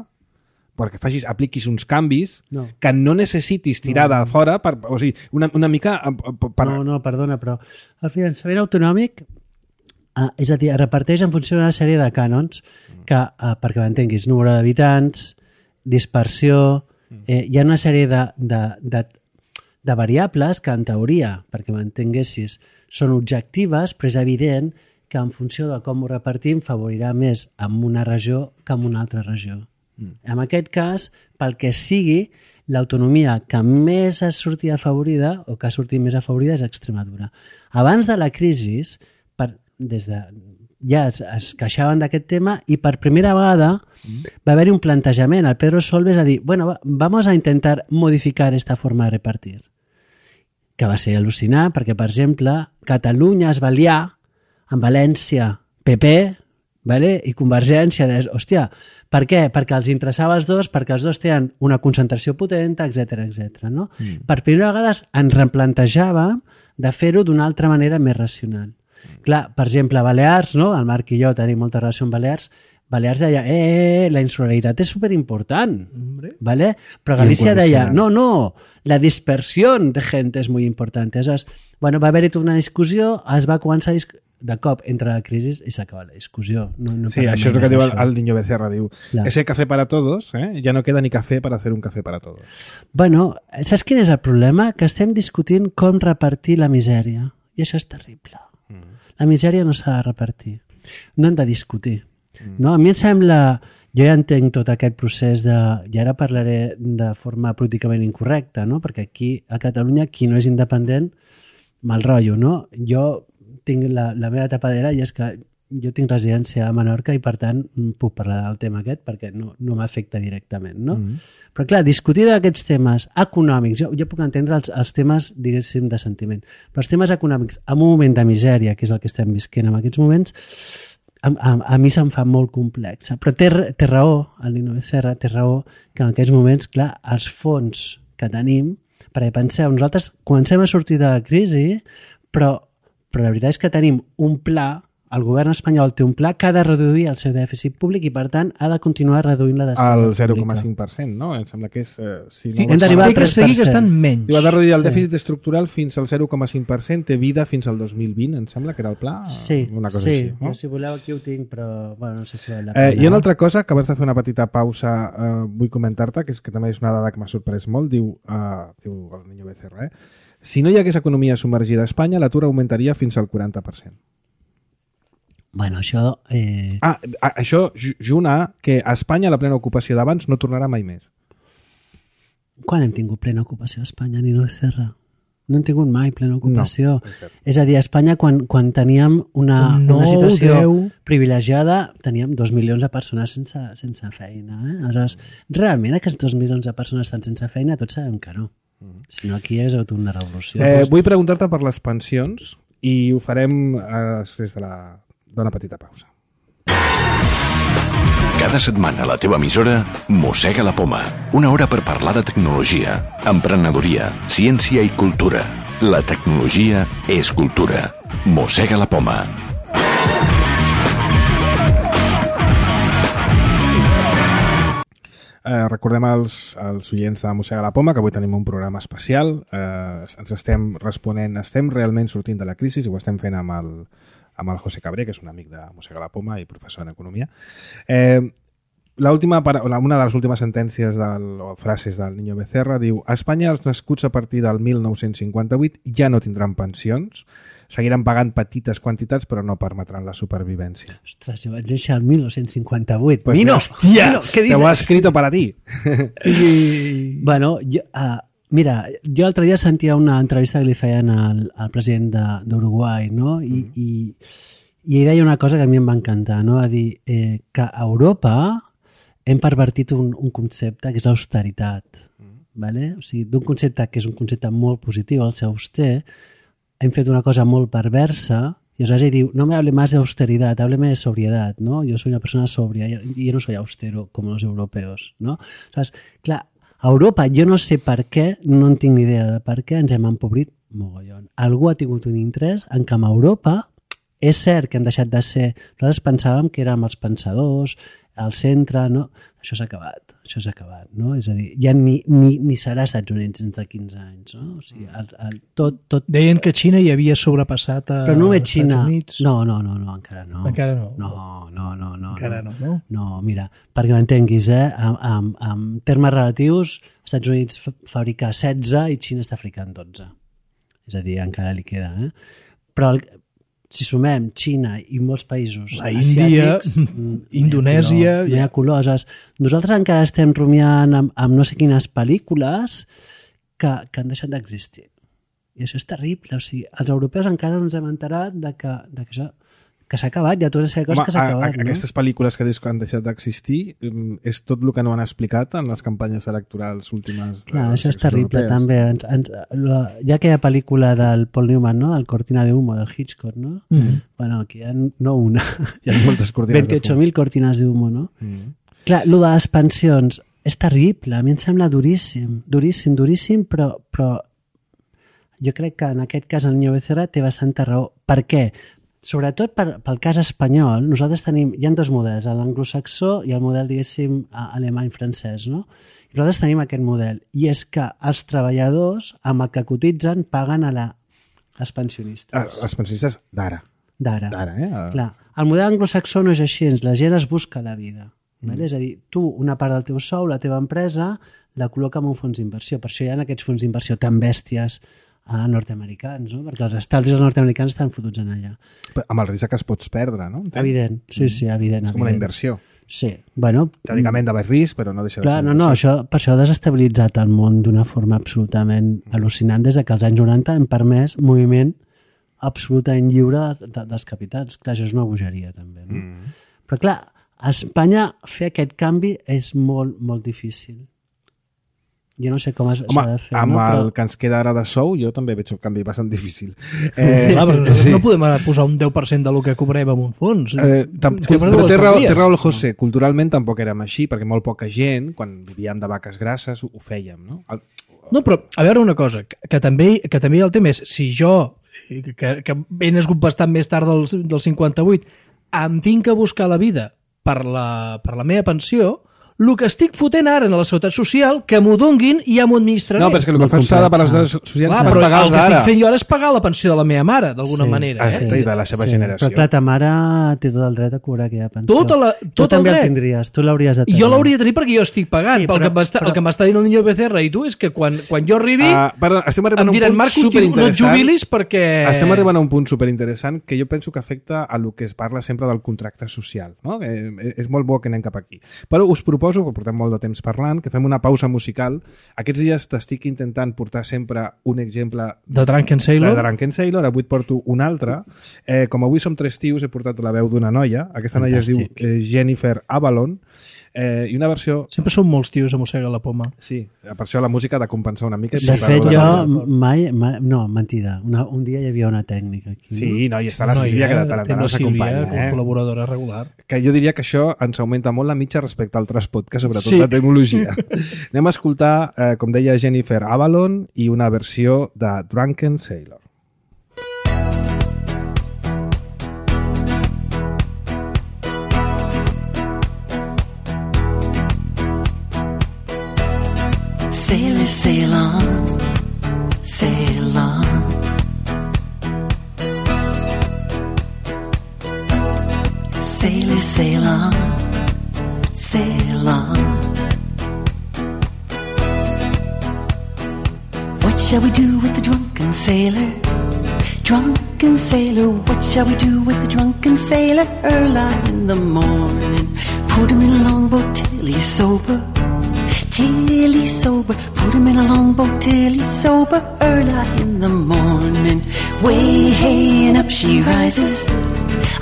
perquè facis, apliquis uns canvis no. que no necessitis tirar no. de fora, per, o sigui, una, una mica... Per... No, no, perdona, però el finançament autonòmic, eh, és a dir, es reparteix en funció d'una sèrie de cànons que, eh, perquè m'entenguis, número d'habitants, dispersió, eh, hi ha una sèrie de, de, de, de variables que, en teoria, perquè m'entenguessis, són objectives, però és evident que en funció de com ho repartim favorirà més en una regió que en una altra regió. En aquest cas, pel que sigui, l'autonomia que més ha sortit afavorida o que ha sortit més afavorida és Extremadura. Abans de la crisi, per, des de, ja es, es queixaven d'aquest tema i per primera vegada mm. va haver-hi un plantejament. El Pedro Solbes a dir, bueno, vamos a intentar modificar esta forma de repartir. Que va ser al·lucinant perquè, per exemple, Catalunya es va liar amb València P P, vale? I Convergència de, hòstia, per què? Perquè els interessava els dos, perquè els dos tenen una concentració potent, etcètera, etcètera. No? Mm. Per primera vegada ens replantejàvem de fer-ho d'una altra manera més racional. Mm. Clar, per exemple, Balears, no? El Marc i jo tenim molta relació amb Balears, Balears deia, eh, eh, la insularitat és superimportant, ¿vale? Però Galícia deia, no, no, la dispersió de gent és molt important. Aleshores, bueno, va haver-hi una discussió, es va començar a discutir, de cop entra la crisi i s'acaba la discussió. No, no sí, això és el que diu el, el Niño Becerra, diu, claro. Ese café para todos, eh? Ya no queda ni café para hacer un café para todos. Bueno, saps quin és el problema? Que estem discutint com repartir la misèria. I això és terrible. Mm. La misèria no s'ha de repartir. No hem de discutir. Mm. No? A mi em sembla... Jo ja entenc tot aquest procés de... I ara parlaré de forma políticament incorrecta, no? Perquè aquí, a Catalunya, qui no és independent, mal rotllo, no? Jo tinc la, la meva tapadera i és que jo tinc residència a Menorca i per tant puc parlar del tema aquest perquè no, no m'afecta directament, no? Mm -hmm. Però clar, discutir d'aquests temes econòmics, jo, jo puc entendre els, els temes, diguéssim, de sentiment, però els temes econòmics en un moment de misèria, que és el que estem visquent en aquests moments, a, a, a mi se'm fa molt complex. Però té, té raó, el Nino Becerra té raó, que en aquests moments, clar, els fons que tenim, perquè penseu, nosaltres comencem a sortir de la crisi, però, però la veritat és que tenim un pla, el govern espanyol té un pla que ha de reduir el seu dèficit públic i, per tant, ha de continuar reduint la despesa al pública. zero coma cinc per cent, no? Em sembla que és... Eh, si sí, no hem d'arribar a tres per cent. Seguir gastant menys. Diu, ha de reduir el dèficit sí. estructural fins al zero coma cinc per cent, té vida fins al dos mil vint, em sembla que era el pla. Sí, una cosa sí. Així, no? Si voleu aquí ho tinc, però bueno, no sé si val la pena. Eh, hi ha una altra cosa, que abans de fer una petita pausa eh, vull comentar-te, que és que també és una dada que m'ha sorprès molt, diu, eh, diu el Niño Becerra, eh? Si no hi hagués economia submergida a Espanya, l'atur augmentaria fins al quaranta per cent. Bueno, això... Eh... Ah, això junt a que a Espanya la plena ocupació d'abans no tornarà mai més. Quan hem tingut plena ocupació a Espanya, Nino Becerra? No hem tingut mai plena ocupació. No, és, és a dir, a Espanya, quan, quan teníem una, no, una situació deu. privilegiada, teníem dos milions de persones sense, sense feina. Eh? Aleshores, realment aquests dos milions de persones estan sense feina, tots sabem que no. Si no, aquí és hagut una revolució. Eh, vull preguntar-te per les pensions i ho farem eh, després de la... d'una petita pausa. Cada setmana a la teva emissora Mossega la Poma. Una hora per parlar de tecnologia, emprenedoria, ciència i cultura. La tecnologia és cultura. Mossega la Poma. Eh, recordem als, als oients de Mossega la Poma que avui tenim un programa especial. Eh, ens estem responent, estem realment sortint de la crisi i ho estem fent amb el amb el José Cabré, que és un amic de Mossega la Poma i professor en economia. Eh, la última, una de les últimes sentències del, o frases del Niño Becerra diu: a Espanya els nascuts a partir del mil nou-cents cinquanta-vuit ja no tindran pensions, seguiran pagant petites quantitats però no permetran la supervivència. Ostres, jo vaig néixer el mil nou-cents cinquanta-vuit. Pues Nino, hòstia, Nino, què dices? Te ho ha escrito para ti. I... Bueno, jo... Uh, Mira, jo l'altre dia sentia una entrevista que li feien al, al president d'Uruguai, no? I, mm. i, i ell deia una cosa que a mi em va encantar, no? Va dir eh, que a Europa hem pervertit un, un concepte que és l'austeritat, mm. ¿vale? O sigui, d'un concepte que és un concepte molt positiu, el ser auster, hem fet una cosa molt perversa i aleshores ell diu, no me hable más de austeridad, hábleme de sobriedad, ¿no? Yo soy una persona sobria y yo no soy austero como los europeos, ¿no? O sea, clar, a Europa, jo no sé per què, no en tinc ni idea de per què, ens hem empobrit mogollon. Algú ha tingut un interès en que a Europa és cert que hem deixat de ser... Nosaltres pensàvem que érem els pensadors, al centre, no? Això s'ha acabat, això s'ha acabat, no? És a dir, ja ni, ni, ni serà Estats Units dins de quinze anys, no? O sigui, el, el, tot, tot... Deien que Xina hi havia sobrepassat a Però no veig Xina. Estats Units. No, no, no, no, encara no. Encara no. No, no, no. no encara no, no. no? No, mira, perquè m'entenguis, eh? En, en, en termes relatius, Estats Units fabrica setze i Xina està fabricant dotze. És a dir, encara li queda, eh? Però el, si sumem Xina i molts països la Índia, Indonèsia... No hi ha colors. Nosaltres encara estem rumiant amb, amb no sé quines pel·lícules que, que han deixat d'existir. I això és terrible. O sigui, els europeus encara no ens hem enterat de que, de que això que s'ha acabat, hi ha totes les coses Home, que s'ha acabat. A, a, no? Aquestes pel·lícules que dius que han deixat d'existir és tot el que no han explicat en les campanyes electorals últimes. Clar, això és terrible europees. També. Ens, ens, la, hi ha aquella pel·lícula del Paul Newman, no? El Cortina de Humo, del Hitchcock, no? Mm -hmm. Bueno, aquí hi ha no una. Hi ha moltes cortines veintiocho mil cortines de humo, no? Mm -hmm. Clar, el de les pensions és terrible, a mi em sembla duríssim, duríssim, duríssim, però, però jo crec que en aquest cas el Niño Becerra té bastanta raó. Per què? Sobretot per, pel cas espanyol, nosaltres tenim, hi ha dos models, l'anglosaxó i el model, diguéssim, alemany-francès, no? I nosaltres tenim aquest model, i és que els treballadors, amb el que cotitzen, paguen a la, als pensionistes. Ah, els pensionistes d'ara. D'ara. D'ara, eh? Clar, el model anglosaxó no és així, la gent es busca la vida. Mm. Vale? És a dir, tu, una part del teu sou, la teva empresa, la col·loca en un fons d'inversió. Per això hi ha aquests fons d'inversió tan bèsties a nord-americans, no? Perquè els establis nord-americans estan fotuts en allà. Però amb el risc que es pots perdre, no? Entenc? Evident, sí, sí, evident. És com evident. una inversió. Sí, bueno... Teòricament de baix risc, però no deixa de clar, ser... No, no, això, per això ha desestabilitzat el món d'una forma absolutament mm. al·lucinant des que als anys noranta hem permès moviment absolutament lliure de, dels capitans. Clar, això és una bogeria, també. No? Mm. Però, clar, a Espanya fer aquest canvi és molt, molt difícil. Jo no sé com s'ha de fer. Amb no? el Però... que ens queda ara de sou, jo també veig un canvi bastant difícil. Eh, Clar, però sí. No podem ara posar un deu per cent del que cobrem en un fons. Eh, tam, que però té raó, té raó el José. Culturalment tampoc érem així, perquè molt poca gent, quan vivíem de vaques grasses, ho, ho fèiem, no? El... No, però a veure una cosa, que, que, també, que també el tema és, si jo, que, que he nascut bastant més tard del, del cinquanta-vuit, em tinc que buscar la vida per la, per la meva pensió, el que estic fotent ara en la seguretat social, que m'ho donguin i ja m'ho administraré. No, però és que el que fas s'ha de per les socials clar, per pagar els el que ara. estic fent jo ara és pagar la pensió de la meva mare, d'alguna sí, manera. Eh? I de la seva sí. generació. Però clar, ta mare té tot el dret a cobrar aquella pensió. Tota la, tot tu també el dret. el tindries, tu l'hauries de tenir. Jo l'hauria de tenir perquè jo estic pagant. Sí, però, però, el, que però... el que m'està dient el Niño B C R i tu és que quan, quan jo arribi uh, perdó, estem arribant em a un diran punt Marc, no et jubilis perquè... Estem arribant a un punt superinteressant que jo penso que afecta a lo que es parla sempre del contracte social. No? Eh, és molt bo que anem cap aquí. Però us proposo, que portem molt de temps parlant, que fem una pausa musical. Aquests dies t'estic intentant portar sempre un exemple de Drunken Sailor. De Drunken Sailor, avui et porto un altre. Eh, com avui som tres tios, he portat la veu d'una noia. Aquesta noia es diu eh, Jennifer Avalon. Eh, I una versió... Sempre són molts tios a Mossega la Poma. Sí, per això la música ha de compensar una mica. De fet, jo mai, mai... No, mentida. Una, un dia hi havia una tècnica aquí. Sí, no, i està la Sílvia, que de tant en tant ens acompanya. Eh? Col·laboradora regular. Que jo diria que això ens augmenta molt la mitja respecte a altres podcasts, sobretot sí. de tecnologia. Anem a escoltar, eh, com deia Jennifer Avalon, i una versió de Drunken Sailor. Sailor, sail on, sail on. Sailor, sail on, sail on. What shall we do with the drunken sailor? Drunken sailor, what shall we do with the drunken sailor? Early in the morning, put him in a longboat till he's sober. Till he's sober, put him in a longboat till he's sober. Early in the morning, way hey and up she rises.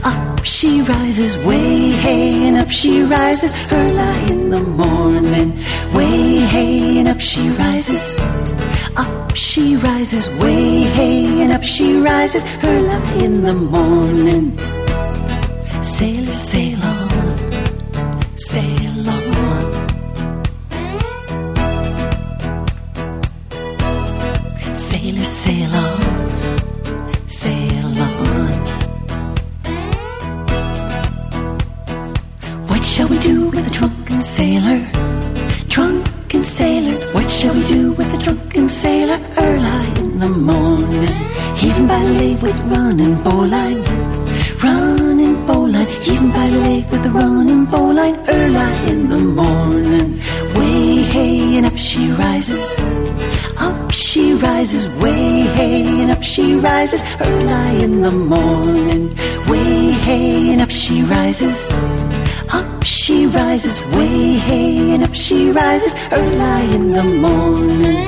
Up she rises, way hey and up she rises. Early in the morning, way hey and up she rises. Up she rises, way hey and up she rises. Early in the morning. Sailor, sail on, sail on. Sailor, sail on, sail on. What shall we do with a drunken sailor? Drunken sailor, what shall we do with a drunken sailor? Early in the morning, heaving by the lake with running bowline. Running bowline, heaving by the lake with a running bowline. Early in the morning, way hey and up she rises. Up she rises, way hey and up she rises. Early in the morning, way hey and up she rises. Up she rises, way hey and up she rises. Early in the morning.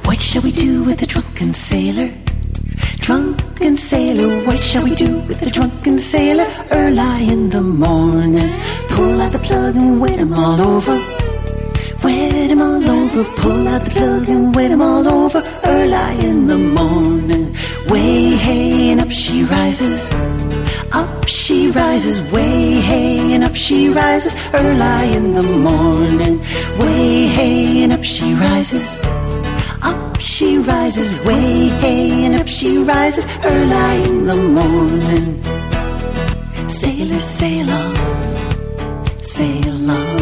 What shall we do with the drunken sailor? Drunken sailor, what shall we do with the drunken sailor? Early in the morning, pull out the plug and wet him all over. Wet him all over, pull out the plug and wet him all over. Early in the morning, way hey and up she rises. Up she rises, way hey and up she rises. Early in the morning, way hey and up she rises. Up she rises, way hey and up she rises. Early in the morning. Sailor, sail on, sail on.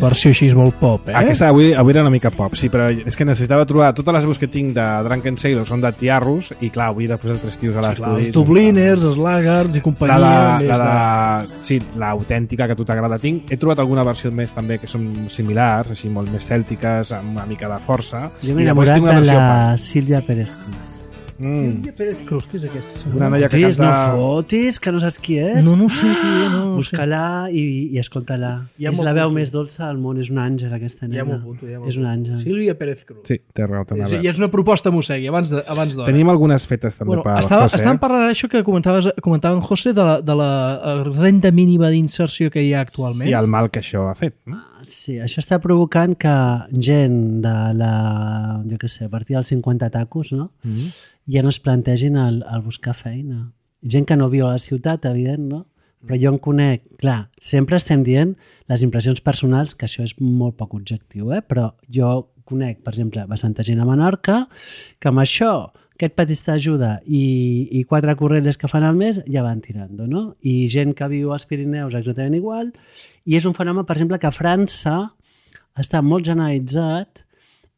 versió així molt pop, eh? Aquesta avui, avui era una mica pop, sí, però és que necessitava trobar... Totes les veus que tinc de Drunken Sailor són de tiarros i, clar, avui de posar tres tios a l'estudi... Els Dubliners, els Laggards i companyia... La, més la, la, de... sí, l'autèntica que a tu t'agrada tinc. He trobat alguna versió més també que són similars, així molt més cèltiques, amb una mica de força. Jo m'he I després enamorat tinc una de versió la punk. Sílvia Pérez Cruz. Mm. Sílvia Pérez Cruz, què és aquesta? Una noia que Fotis, canta... no fotis, que no saps qui és. No, no sé qui és, no, no sé. Busca-la i, i escolta-la. Ja és m'ho la veu apunto. més dolça del món, és un àngel aquesta nena. Ja m'ho apunto, ja m'ho És un apunto. àngel. Sílvia Pérez Cruz. Sí, té raó. té És, raó. I és una proposta mossegui, abans de- abans d'hora. Tenim algunes fetes també Bueno, per estava, José. estàvem parlant ara això que comentaves, comentava en José de la, de la eh, renda mínima d'inserció que hi ha actualment. I el mal que això ha fet. No? Sí, això està provocant que gent de la, jo què sé, a partir dels cinquanta tacos, no? Mm -hmm. ja no es plantegin el, el buscar feina. Gent que no viu a la ciutat, evident, no? Però jo en conec, clar, sempre estem dient les impressions personals, que això és molt poc objectiu, eh? Però jo conec, per exemple, bastanta gent a Menorca, que amb això, aquest petit ajuda i, i quatre correlles que fan al mes, ja van tirant, no? I gent que viu als Pirineus exactament igual, i és un fenomen, per exemple, que a França està molt generalitzat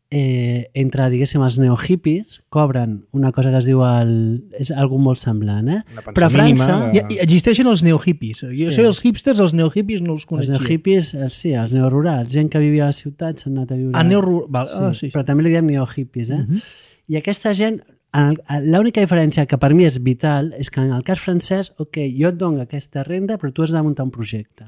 eh, entre, diguéssim, els neohippies, cobren una cosa que es diu el... és algú molt semblant, eh? Una pensió Però a França... mínima I, i existeixen els neohippies. Jo Sí. sé els hipsters, els neohippies no els Els coneixia. neohippies, eh, sí, els neorurals, gent que vivia a la ciutat s'han anat a viure... Ah, neoru... Val. Sí, Ah, sí. però també li diem neohippies, eh? Uh -huh. I aquesta gent, en el- l'única diferència que per mi és vital és que en el cas francès, ok, jo et dono aquesta renda, però tu has de muntar un projecte.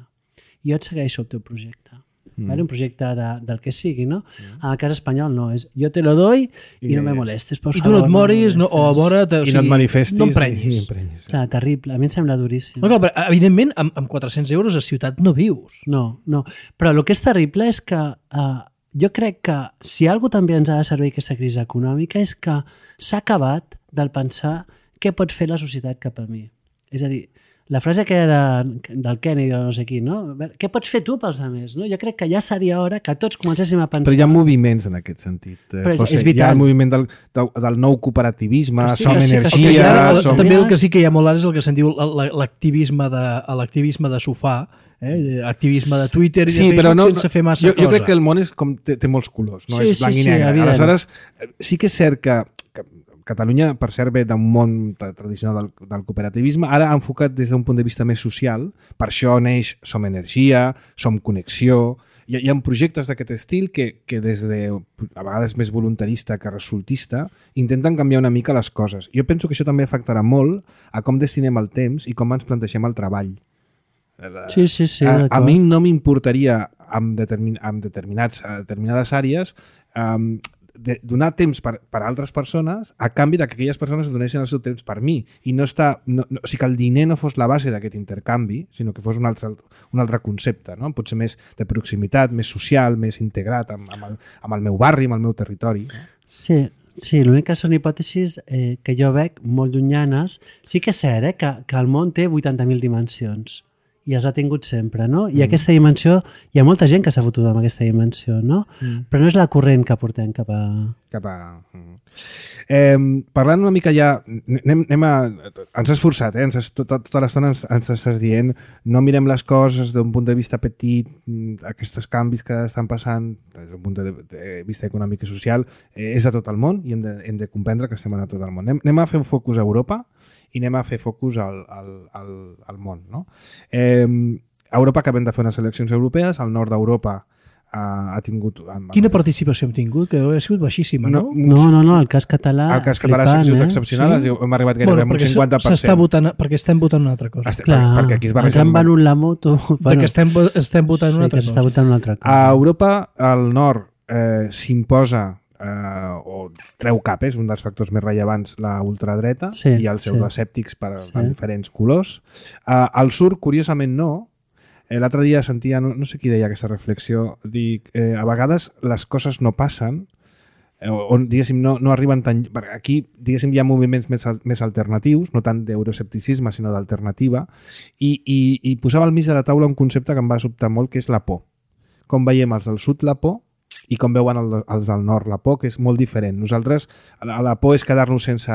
I jo et segueixo el teu projecte. Mm. Vale? Un projecte de, del que sigui, no? Mm. En el cas espanyol no, és jo te lo doy i, I no me molestes, por I tu favor. no et moris, no, molestes. o a vora... Te, o I sigui, no et manifestis. No i- emprenyis. i emprenyis. Clar, terrible. A mi em sembla duríssim. No, clar, però, evidentment, amb, amb quatre-cents euros a ciutat no vius. No, no. Però el que és terrible és que uh, jo crec que si algú també ens ha de servir aquesta crisi econòmica és que s'ha acabat del pensar què pot fer la societat cap a mi. És a dir, la frase que de, del Kennedy o no sé qui, no? Què pots fer tu pels altres? No? Jo crec que ja seria hora que tots comencéssim a pensar... Però hi ha moviments en aquest sentit. Eh, Però és- José. és vital. Hi ha el moviment del, del, del nou cooperativisme, Que sí, som que sí, que sí, energia... El que hi ha, el, som... també el que sí que hi ha molt ara és el que se'n diu la- la- l'activisme de, l'activisme de sofà, eh? Activisme de Twitter i Sí, de però Facebook no, sense fer massa jo, cosa. jo crec que el món és com, té, té molts colors, no Sí, és sí, blanc sí, i negre. evident. Aleshores, eh, sí que és cert que, que Catalunya, per cert, ve d'un món tra- tradicional del, del cooperativisme, ara enfocat des d'un punt de vista més social, per això neix Som Energia, Som Connexió, hi ha, hi ha projectes d'aquest estil que, que des de, a vegades més voluntarista que resultista, intenten canviar una mica les coses. Jo penso que això també afectarà molt a com destinem el temps i com ens plantegem el treball. Sí, sí, sí, a, a d'acord. mi no m'importaria amb, determin, amb determinats, a determinades àrees um, de, donar temps per, per a altres persones a canvi de que aquelles persones donessin el seu temps per mi i no està, no, no, o sigui que el diner no fos la base d'aquest intercanvi, sinó que fos un altre, un altre concepte, no? Potser més de proximitat, més social, més integrat amb, amb, el, amb el meu barri, amb el meu territori. No? Sí, sí, l'únic que són hipòtesis eh, que jo veig molt llunyanes. Sí que és cert eh, que, que el món té vuitanta mil dimensions i els ha tingut sempre, no? I mm. aquesta dimensió, hi ha molta gent que s'ha fotut amb aquesta dimensió, no? Mm. Però no és la corrent que portem cap a... Cap a... Eh, parlant una mica ja, anem, anem a... Ens has forçat, eh? Ens has, tota, tota l'estona ens, ens estàs dient no mirem les coses d'un punt de vista petit, aquests canvis que estan passant des d'un punt de, de vista econòmic i social, eh, és a tot el món i hem de, hem de comprendre que estem a tot el món. Anem, anem a fer un focus a Europa i anem a fer focus al, al, al, al món, no? Eh, a Europa acabem de fer unes eleccions europees, al nord d'Europa ha tingut... Quina participació hem tingut? Que ha sigut baixíssima, no? No, no, no, el cas català... El cas català ha sigut excepcional, sí? Hem arribat gairebé bueno, a un cinquanta per cent. S'està votant, perquè estem votant una altra cosa. Estem, Clar, perquè aquí es barregen... Ens han venut la moto... Bueno, perquè estem, estem votant sí, una altra cosa. Està votant una altra cosa. A Europa, al nord, eh, s'imposa eh, o treu cap, és un dels factors més rellevants, la ultradreta sí, i els pseudoescèptics sí. per sí. diferents colors. Eh, al sud, curiosament, no. L'altre dia sentia, no, no sé qui deia aquesta reflexió, dic, eh, a vegades les coses no passen, eh, on, diguéssim, no, no arriben tan... Aquí, diguéssim, hi ha moviments més, més alternatius, no tant d'euroescepticisme, sinó d'alternativa, i, i, i posava al mig de la taula un concepte que em va sobtar molt, que és la por. Com veiem els del sud la por, i com veuen el, els del nord la por, que és molt diferent. Nosaltres, la, la por és quedar-nos sense...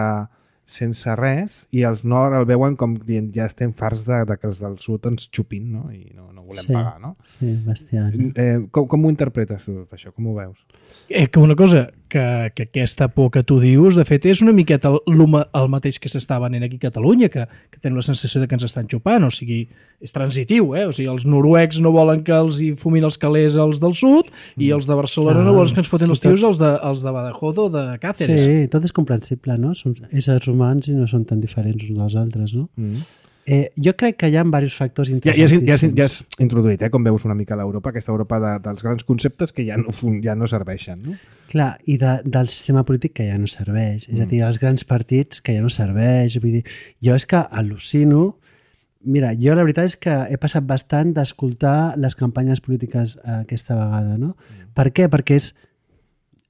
sense res, i els nord el veuen com dient ja estem farts de, de que els del sud ens xupin, no? I no, no volem sí, pagar, no? Sí, bestial. Eh, com, com ho interpretes tot això? Com ho veus? Eh, que una cosa, que, que aquesta por que tu dius, de fet, és una miqueta el, el mateix que s'està venent aquí a Catalunya, que, que tenen la sensació de que ens estan xupant, o sigui, és transitiu, eh? O sigui, els noruecs no volen que els hi fumin els calés als del sud, mm. i els de Barcelona ah, no volen que ens foten sí, els tios tot... els, de, els de Badajoz o de Càceres. Sí, tot és comprensible, no? Som éssers humans i no són tan diferents uns dels altres, no? Mm. Eh, jo crec que hi ha diversos factors interessants. Ja, ja, ja, ja has introduït, eh, com veus una mica l'Europa, aquesta Europa de, dels grans conceptes que ja no, ja no serveixen, no? Clar, i de, del sistema polític que ja no serveix, mm. és a dir, dels grans partits que ja no serveix. Vull dir, jo és que al·lucino. Mira, jo la veritat és que he passat bastant d'escoltar les campanyes polítiques aquesta vegada, no? Mm. Per què? Perquè és,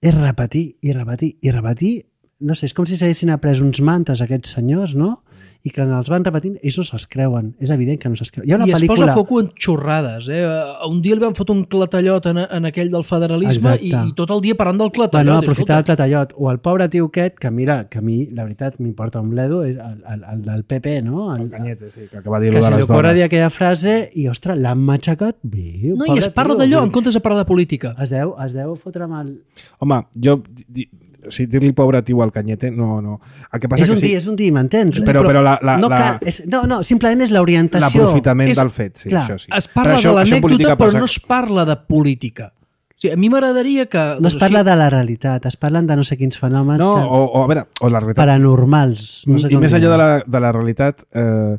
és repetir i repetir i repetir. No sé, és com si s'haguessin après uns mantres aquests senyors, no? I que els van repetint, ells no se'ls creuen. És evident que no se'ls creuen. Hi ha una I es pel·lícula... posa foco en xorrades. Eh? Un dia li van fotre un clatallot en, en aquell del federalisme i, i tot el dia parlant del clatallot. Bueno, aprofitar el clatallot. O el pobre tio aquest, que mira, que a mi, la veritat, m'importa un bledo, és el, el, el del P P, no? El, el Cañete, sí, que acaba de dir que de les dones. Que se li ocorre dir aquella frase i, ostres, l'han matxacat bé. No, i es parla d'allò en comptes de parlar de política. Es deu, es deu fotre amb el... Home, jo... Di, o sigui, dir-li pobre tio al Cañete, no, no. El que passa és un que dir, sí, és un dir, m'entens? Però, però la, la, no, cal, és, no, no, simplement és l'orientació. L'aprofitament és, del fet, sí, clar, això sí. Es parla això, de l'anècdota, però passa... no es parla de política. O sigui, a mi m'agradaria que... No es parla de la realitat, es parlen de no sé quins fenòmens no, que... o, o, a veure, o la realitat... paranormals. No sé I més enllà de la, de la realitat... Eh,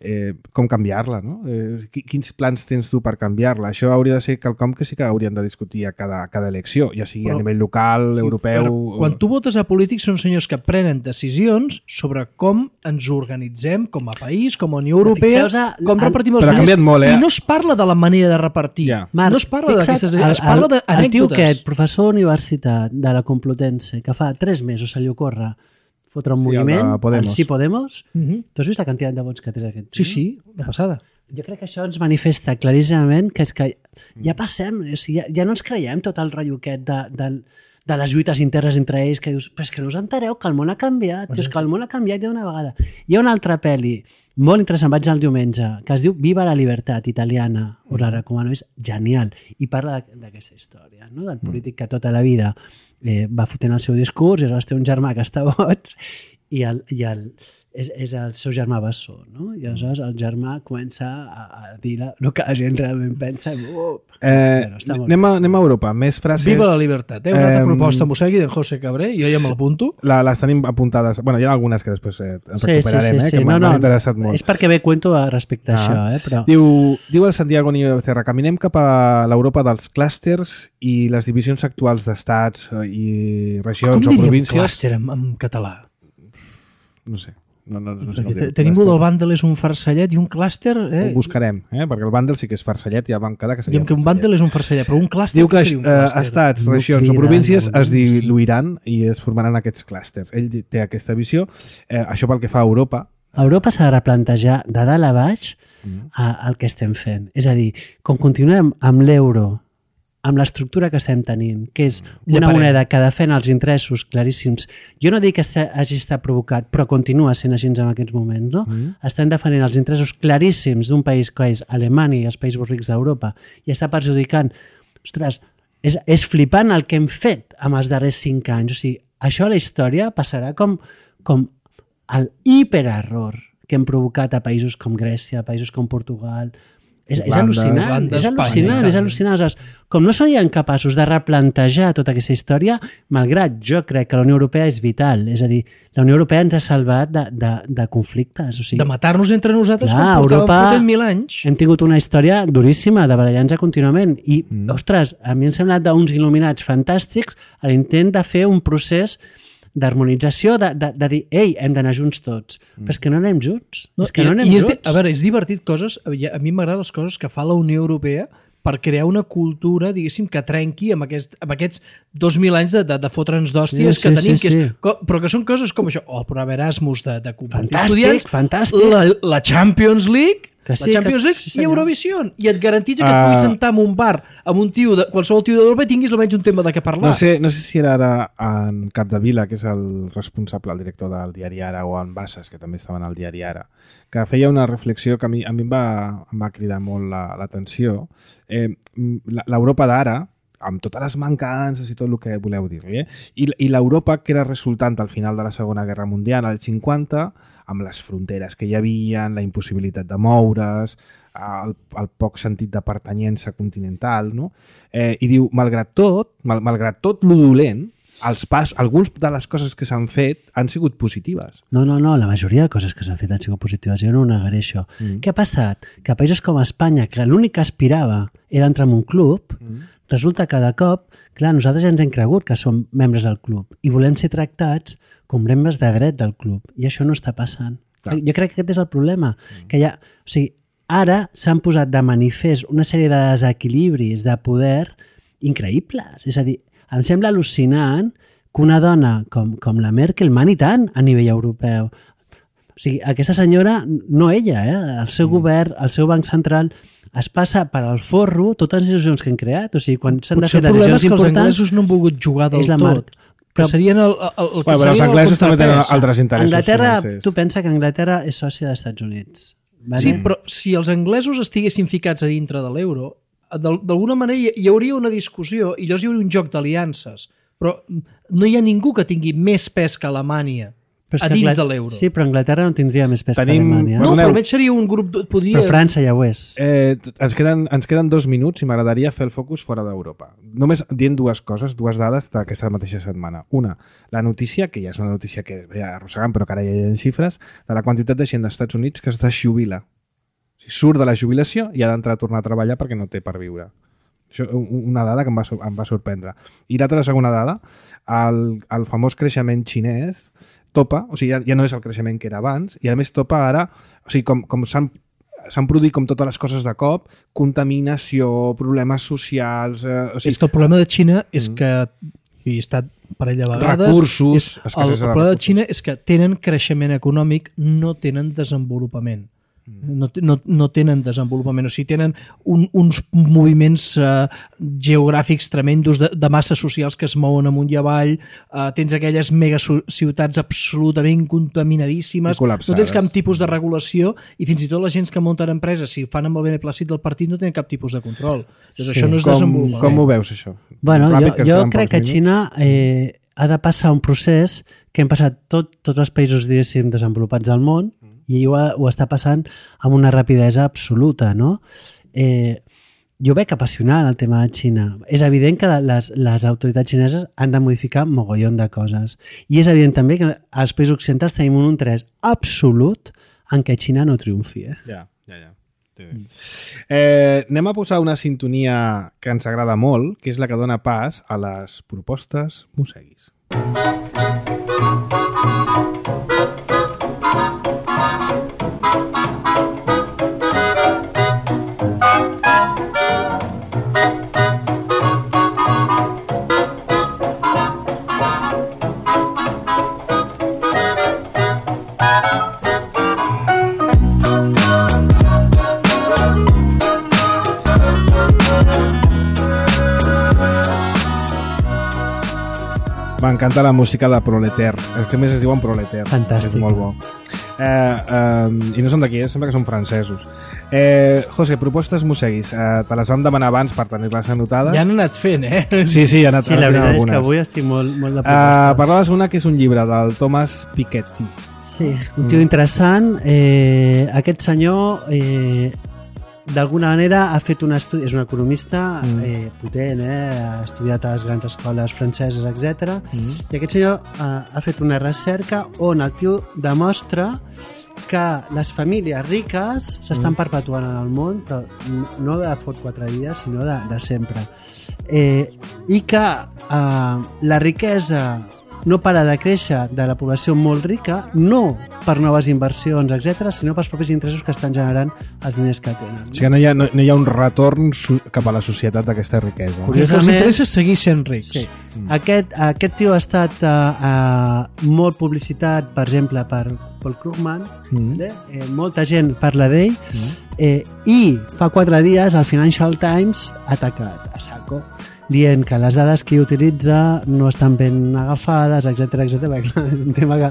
Eh, com canviar-la, no? Eh, quins plans tens tu per canviar-la? Això hauria de ser quelcom que sí que haurien de discutir a cada, a cada elecció, ja sigui però, a nivell local, sí, europeu... Però, quan tu votes a polítics són senyors que prenen decisions sobre com ens organitzem com a país, com a Unió Europea, a, com el, repartim els diners, molt, eh? i no es parla de la manera de repartir. Ja. Marc, no es parla d'aquestes... Es parla d'anècdotes. El tio aquest, professor universitat de la Complutense, que fa tres mesos se li ocorre fotre un sí, moviment, el Sí Podemos. Uh-huh. Tu has vist la quantitat de vots que té aquest? Sí, sí, de passada. Jo crec que això ens manifesta claríssimament que és que ja passem, o sigui, ja, ja no ens creiem tot el rotllo aquest de, de, de les lluites internes entre ells, que dius, però és que no us entereu que el món ha canviat, uh-huh. és que el món ha canviat ja una vegada. Hi ha una altra pel·li molt interessant, vaig al diumenge, que es diu Viva la Libertat, italiana, us la recomano, és genial, i parla d'aquesta història, no? Del polític que tota la vida Eh, va fotent el seu discurs i aleshores té un germà que està boig i, el, i el, és, és el seu germà bessó, no? I aleshores el germà comença a, a dir la, el que la gent realment pensa i uh, eh, bueno, anem, a, anem a Europa, més frases... Viva la libertat, eh? Una altra eh, proposta Mosegui d'en José Cabré, jo ja me'l apunto. La, les tenim apuntades, bueno, hi ha algunes que després eh, ens sí, recuperarem, sí, sí, sí. eh, que no, m'han no, interessat molt. És perquè bé cuento respecte a ah. això, eh? Però... Diu, diu el Santiago Niño de Becerra, caminem cap a l'Europa dels clústers i les divisions actuals d'estats i regions o províncies... Com diríem clúster en, en català? No sé. No, no, no sé tenim un del bàndel és un farcellet i un clúster... Eh? Ho buscarem, eh? Perquè el bàndel sí que és farcellet, ja vam quedar que seria Diem que un bàndel és un farcellet, però un clúster... Diu que, que seria un eh, estats, regions o províncies es diluiran i es formaran aquests clústers. Ell té aquesta visió. Eh, això pel que fa a Europa... Europa s'ha de replantejar de dalt a baix mm. a, el que estem fent. És a dir, com continuem amb l'euro, amb l'estructura que estem tenint, que és una moneda que defèn els interessos claríssims. Jo no dic que hagi estat provocat, però continua sent així en aquests moments. No? Mm. Estem defendent els interessos claríssims d'un país que és Alemanya i els països rics d'Europa i està perjudicant... Ostres, és, és flipant el que hem fet en els darrers cinc anys. O sigui, això a la història passarà com, com el hipererror que hem provocat a països com Grècia, a països com Portugal... És, és al·lucinant, és al·lucinant, és al·lucinant. Aleshores, com no serien capaços de replantejar tota aquesta història, malgrat jo crec que la Unió Europea és vital, és a dir, la Unió Europea ens ha salvat de, de, de conflictes. O sigui, de matar-nos entre nosaltres clar, com portàvem fotent mil anys. Hem tingut una història duríssima de barallar-nos contínuament i, mm. ostres, a mi em sembla d'uns il·luminats fantàstics a l'intent de fer un procés d'harmonització, de, de, de dir, ei, hem d'anar junts tots. Mm. Però és que no anem junts. No, és que i, no anem i junts. És, a veure, és divertit coses, a mi m'agraden les coses que fa la Unió Europea per crear una cultura, diguéssim, que trenqui amb, aquest, amb aquests dos mil anys de, de, de fotre'ns d'hòsties sí, que tenim, sí, sí. Que és, però que són coses com això, o el programa Erasmus de, de fantàstic, estudiants, fantàstic. La, la Champions League, Que sí, la Champions que- League sí, i senyor. Eurovision. I et garantitza que et Ah. puguis sentar en un bar amb un tio, de, qualsevol tio d'Europa i tinguis almenys un tema de què parlar. No sé, no sé si era ara en Capdevila, que és el responsable, el director del diari Ara, o en Bassas, que també estaven al diari Ara, que feia una reflexió que a mi, a mi em, va, em va cridar molt la- l'atenció. Eh, la- L'Europa d'ara, amb totes les mancances i tot el que voleu dir-li, eh? I, i l'Europa que era resultant al final de la Segona Guerra Mundial, als cinquanta, amb les fronteres que hi havia, la impossibilitat de moure's, el, el poc sentit de pertanyença continental, no? Eh, I diu, malgrat tot, mal, malgrat tot lo dolent, els pas, alguns de les coses que s'han fet han sigut positives. No, no, no, la majoria de coses que s'han fet han sigut positives, jo no ho negaré això. Mm. Què ha passat? Que a països com Espanya, que l'únic que aspirava era entrar en un club, mm. resulta que de cop, clar, nosaltres ja ens hem cregut que som membres del club i volem ser tractats com membres de dret del club, i això no està passant. Clar. Jo crec que aquest és el problema, mm. que ja, o sigui, ara s'han posat de manifest una sèrie de desequilibris de poder increïbles. És a dir, em sembla al·lucinant que una dona com, com la Merkel mani tant a nivell europeu. O sigui, aquesta senyora, no ella, eh? El seu mm. govern, el seu banc central, es passa per al forro totes les decisions que han creat. O sigui, quan s'han de Potser fer el problema decisions és que els importants... anglesos no han volgut jugar del és la tot. mar- Que Però- serien el, el, el, el, Bueno, però els serien el anglesos també tenen contrapès. altres interessos Anglaterra, financers. tu pensa que Anglaterra és sòcia dels Estats Units. Vale? Sí, però si els anglesos estiguessin ficats a dintre de l'euro, d'al- d'alguna manera hi, hi hauria una discussió i llavors hi hauria un joc d'aliances. Però no hi ha ningú que tingui més pes que Alemanya Però és a que dins Angla- de l'euro. Sí, però Anglaterra no tindria més pes Tenim- que Alemanya. No, Perdoneu. però almenys seria un grup... de- Podria... Però França ja ho és. Eh, ens, queden, ens queden dos minuts i m'agradaria fer el focus fora d'Europa. Només dient dues coses, dues dades d'aquesta mateixa setmana. Una, la notícia, que ja és una notícia que ve arrossegant, però que ara ja hi ha xifres, de la quantitat de gent dels Estats Units que es desjubila. O sigui, surt de la jubilació i ha d'entrar a tornar a treballar perquè no té per viure. Això, un- una dada que em va, sor- em va sorprendre. I l'altra, la segona dada, el, el famós creixement xinès topa, o sigui, ja, ja no és el creixement que era abans, i a més topa ara, o sigui, com, com s'han s'han produït com totes les coses de cop, contaminació, problemes socials... Eh, o És sigui, que el problema de Xina és que i he estat parella de vegades Recursos, és, el, escassesa el de problema de recursos. Xina és que tenen creixement econòmic, no tenen desenvolupament. No, no, no tenen desenvolupament, o sigui, tenen un, uns moviments eh, geogràfics tremendos de, de masses socials que es mouen amunt i avall, eh, tens aquelles megaciutats absolutament contaminadíssimes, I col·lapsades. no tens cap tipus de regulació i fins i tot la gent que munten empreses, si ho fan amb el beneplàcit del partit, no tenen cap tipus de control. Doncs Sí. això no és com, desenvolupament. com ho veus, això? Bueno, Ràpid, jo, ens jo queden crec pocs que minuts. Xina eh, ha de passar un procés que hem passat tot, tots els països, diguéssim, desenvolupats del món, i ho, ha, ho està passant amb una rapidesa absoluta, no? Eh, jo veig apassionant el tema de Xina. És evident que les, les autoritats xineses han de modificar mogollon de coses. I és evident també que als països occidentals tenim un interès absolut en què Xina no triomfi. Eh? Ja, ja, ja. Sí. Eh, anem a posar una sintonia que ens agrada molt, que és la que dona pas a les propostes Moseguis. M'encanta la música de Proleter. El que més es diuen Proleter. Fantàstic. És molt bo. Eh, eh, I no són d'aquí, eh? Sembla que són francesos. Eh, José, propostes Moseguis. Eh, te les vam demanar abans per tenir-les anotades. Ja han anat fent, eh? Sí, sí, ha anat, Sí, la han anat veritat és algunes. que avui estic molt, molt de Uh, propostes. parlaves una que és un llibre del Thomas Piketty. Sí, un tio interessant. Eh, aquest senyor, eh, d'alguna manera, ha fet un estudi... És un economista Mm. eh, potent, eh? Ha estudiat a les grans escoles franceses, etcètera. Mm. I aquest senyor eh, ha fet una recerca on el tio demostra que les famílies riques s'estan Mm. perpetuant en el món, però no de fot quatre dies, sinó de, de sempre. Eh, I que eh, la riquesa no para de créixer de la població molt rica, no per noves inversions, etcètera, sinó pels propis interessos que estan generant els diners que tenen. O sigui, no hi ha, no, no hi ha un retorn cap a la societat d'aquesta riquesa. I els interessos seguir sent rics. Sí. Mm. Aquest, aquest tio ha estat uh, uh, molt publicitat, per exemple, per Paul Krugman, mm. eh, molta gent parla d'ell, mm. eh, i fa quatre dies el Financial Times ha atacat a saco, dient que les dades que ell utilitza no estan ben agafades, etcètera, etcètera. És un tema que,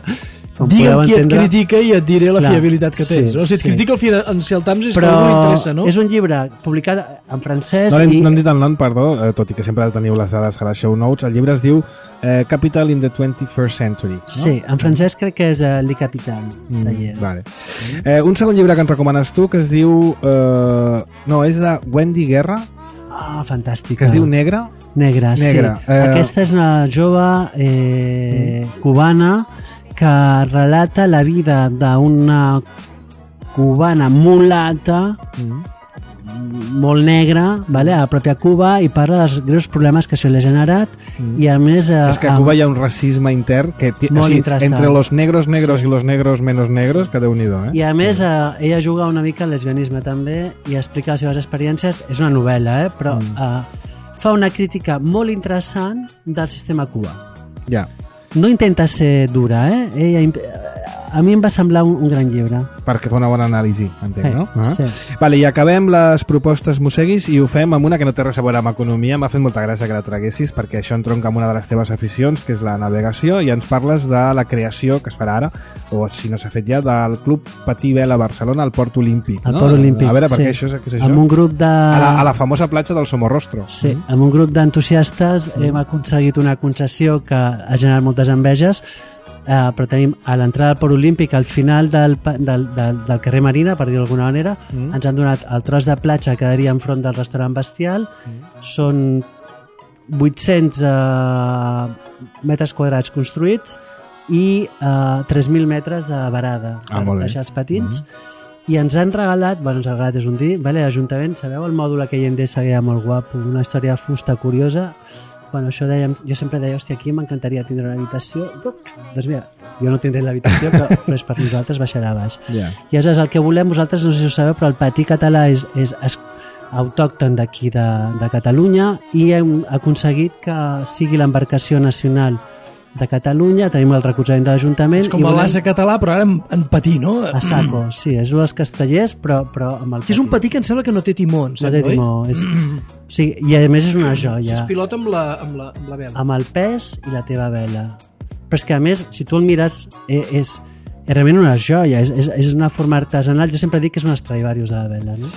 com digue'm podeu qui entendre... et critica i et diré la Clar, fiabilitat que tens. sí, no? Si et sí. critica el Financial Times és Però que algú li interessa, no? és un llibre publicat en francès No, i... no hem dit el nom, perdó, eh, tot i que sempre teniu les dades a les show notes. El llibre es diu eh, Capital in the twenty-first century. No? Sí, en francès crec que és uh, Le Capital. Mm, vale. eh, un segon llibre que ens recomanes tu que es diu... Eh, no, és de Wendy Guerra, Ah, fantàstica. que es diu Negra. Negra, Negra. sí. Eh... Aquesta és una jove eh, mm. cubana que relata la vida d'una cubana mulata mm. molt negra, vale, a la pròpia Cuba, i parla dels greus problemes que això li ha generat mm. i a més... Eh, és que a Cuba hi ha un racisme intern que t- Molt o sigui, interessant. entre los negros negros sí. i los negros menos negros, que Déu-n'hi-do, eh? I a més, eh, ella juga una mica al lesbianisme també i explica les seves experiències. És una novel·la, eh? Però mm. eh, fa una crítica molt interessant del sistema cubà. Ja. No intenta ser dura, eh? Ella, a mi em va semblar un, un gran llibre. Perquè fa una bona anàlisi, entenc, Eh, no? Ah. sí. Vale, i acabem les propostes Mosseguis i ho fem amb una que no té res a veure amb economia. M'ha fet molta gràcia que la traguessis perquè això entronca amb una de les teves aficions, que és la navegació, i ens parles de la creació que es farà ara, o si no s'ha fet ja, del Club Patí Vela Barcelona al Port Olímpic. Al no? Port Olímpic, A veure, per sí. què això és, què és això? Amb un grup de... A la, a la famosa platja del Somorrostro. Sí, amb un grup d'entusiastes hem aconseguit una concessió que ha generat moltes enveges, eh, però tenim a l'entrada del Port Olímpic, al final del, pa- del, del, del carrer Marina, per dir-ho d'alguna manera, Mm. ens han donat el tros de platja que quedaria enfront del restaurant Bestial. Són vuit-cents eh, metres quadrats construïts i eh, tres mil metres de varada Ah, per molt bé. deixar els patins. I ens han regalat, bueno, ens han regalat és un dir, vale, l'Ajuntament, sabeu el mòdul aquell Endesa que hi ha molt guapo, una història de fusta curiosa? Bueno, això dèiem, jo sempre deia, hòstia, aquí m'encantaria tindre una habitació. Doncs mira, jo no tindré l'habitació, però, però és per nosaltres, baixarà a baix. Ja. I aleshores el que volem, vosaltres no sé si ho sabeu, però el patí català és, és, és autòcton d'aquí de, de Catalunya i hem aconseguit que sigui l'embarcació nacional de Catalunya, tenim el recolzament de l'Ajuntament. És com i volem- l'asa català, però ara en, en patí, no? a saco, sí, és un dels castellers, però, però amb el Que és un patí que em sembla que no té timons. No eh, té oi? timó. És... O sigui, i a més és una joia. Es pilota amb la, amb la, amb la vela. Amb el pes i la teva vela. Però és que a més, si tu el mires, eh, és, és realment una joia, és, és, és una forma artesanal. Jo sempre dic que és un Stradivarius de la vela, no?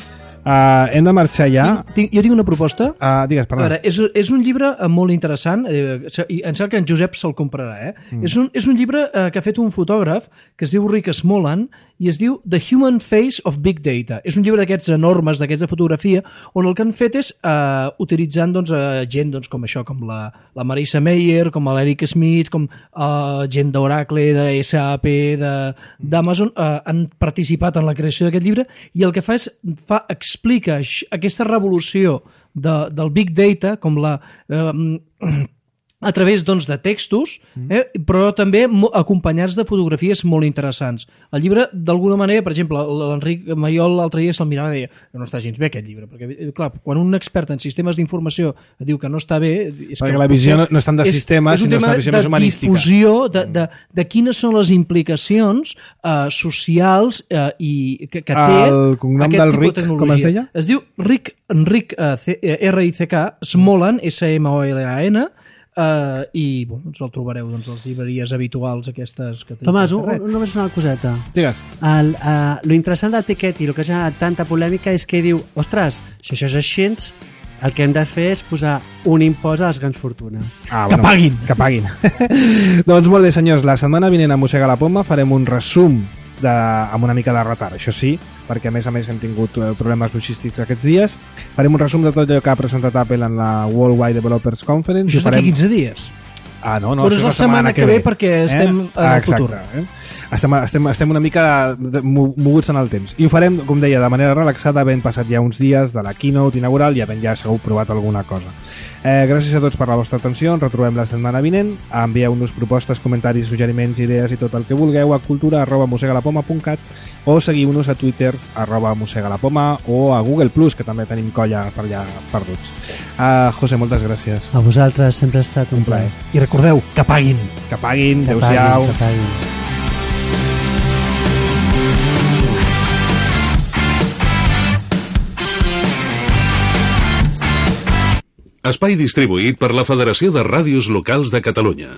Uh, hem de marxar ja. Tinc, jo tinc una proposta. Uh, digues, A perdó. veure, és, és un llibre eh, molt interessant, eh, i em sembla que en Josep se'l comprarà. Eh? Mm. És, un, és un llibre eh, que ha fet un fotògraf que es diu Rick Smolan i es diu The Human Face of Big Data. És un llibre d'aquests enormes, d'aquests de fotografia, on el que han fet és eh, utilitzant doncs, eh, gent doncs, com això, com la, la Marisa Mayer, com l'Eric Smith, com eh, gent d'Oracle, de S A P, d'Amazon, eh, han participat en la creació d'aquest llibre i el que fa és fa, explica aix- aquesta revolució de, del Big Data com la... Eh, a través doncs, de textos, eh, però també mo- acompanyats de fotografies molt interessants. El llibre, d'alguna manera, per exemple, l'Enric Mayol l'altre dia se'l mirava i deia que no està gens bé aquest llibre, perquè, eh, clar, quan un expert en sistemes d'informació diu que no està bé... És Perquè que la visió potser no, no és tant de és- sistemes, és un sinó tema una visió més de humanística. difusió, de, de, de quines són les implicacions eh, socials eh, i que, que té El cognom aquest del tipus de Rick, tecnologia. com es deia? Es diu Rick, Enric, eh, C- eh, R I C K, Smolan, S M O L A N, Uh, i bueno, doncs el trobareu doncs, a les llibreries habituals aquestes que tenim Tomàs, al un, carrer. un, només una coseta. Digues. El, uh, lo interessant del Piketty, el que ha generat tanta polèmica és que diu, ostres, si això és així, el que hem de fer és posar un impost a les grans fortunes. Ah, Que paguin. Que paguin. Doncs molt bé, senyors. La setmana vinent a Mossega la Poma farem un resum de, amb una mica de retard, això sí, perquè a més a més hem tingut eh, problemes logístics aquests dies. Farem un resum de tot allò que ha presentat Apple en la Worldwide Developers Conference. Això és Ho d'aquí farem quinze dies. Ah, no, no, Però és la setmana que ve perquè estem en el Exacte, futur. Eh? Estem, estem, estem una mica de- mo- moguts en el temps. I ho farem, com deia, de manera relaxada, havent passat ja uns dies de la keynote inaugural i havent ja segur provat alguna cosa. Eh, gràcies a tots per la vostra atenció. Ens retrobem la setmana vinent. Envieu-nos propostes, comentaris, suggeriments, idees i tot el que vulgueu a cultura arroba mosegalapoma punt cat o seguiu-nos a Twitter arroba mosegalapoma o a Google Plus, que també tenim colla per allà perduts. Uh, José, moltes gràcies. A vosaltres sempre ha estat un, Un plaer. I recordeu, que paguin. Que paguin, Que adeu-siau. paguin, que paguin. Espai distribuït per la Federació de Ràdios Locals de Catalunya.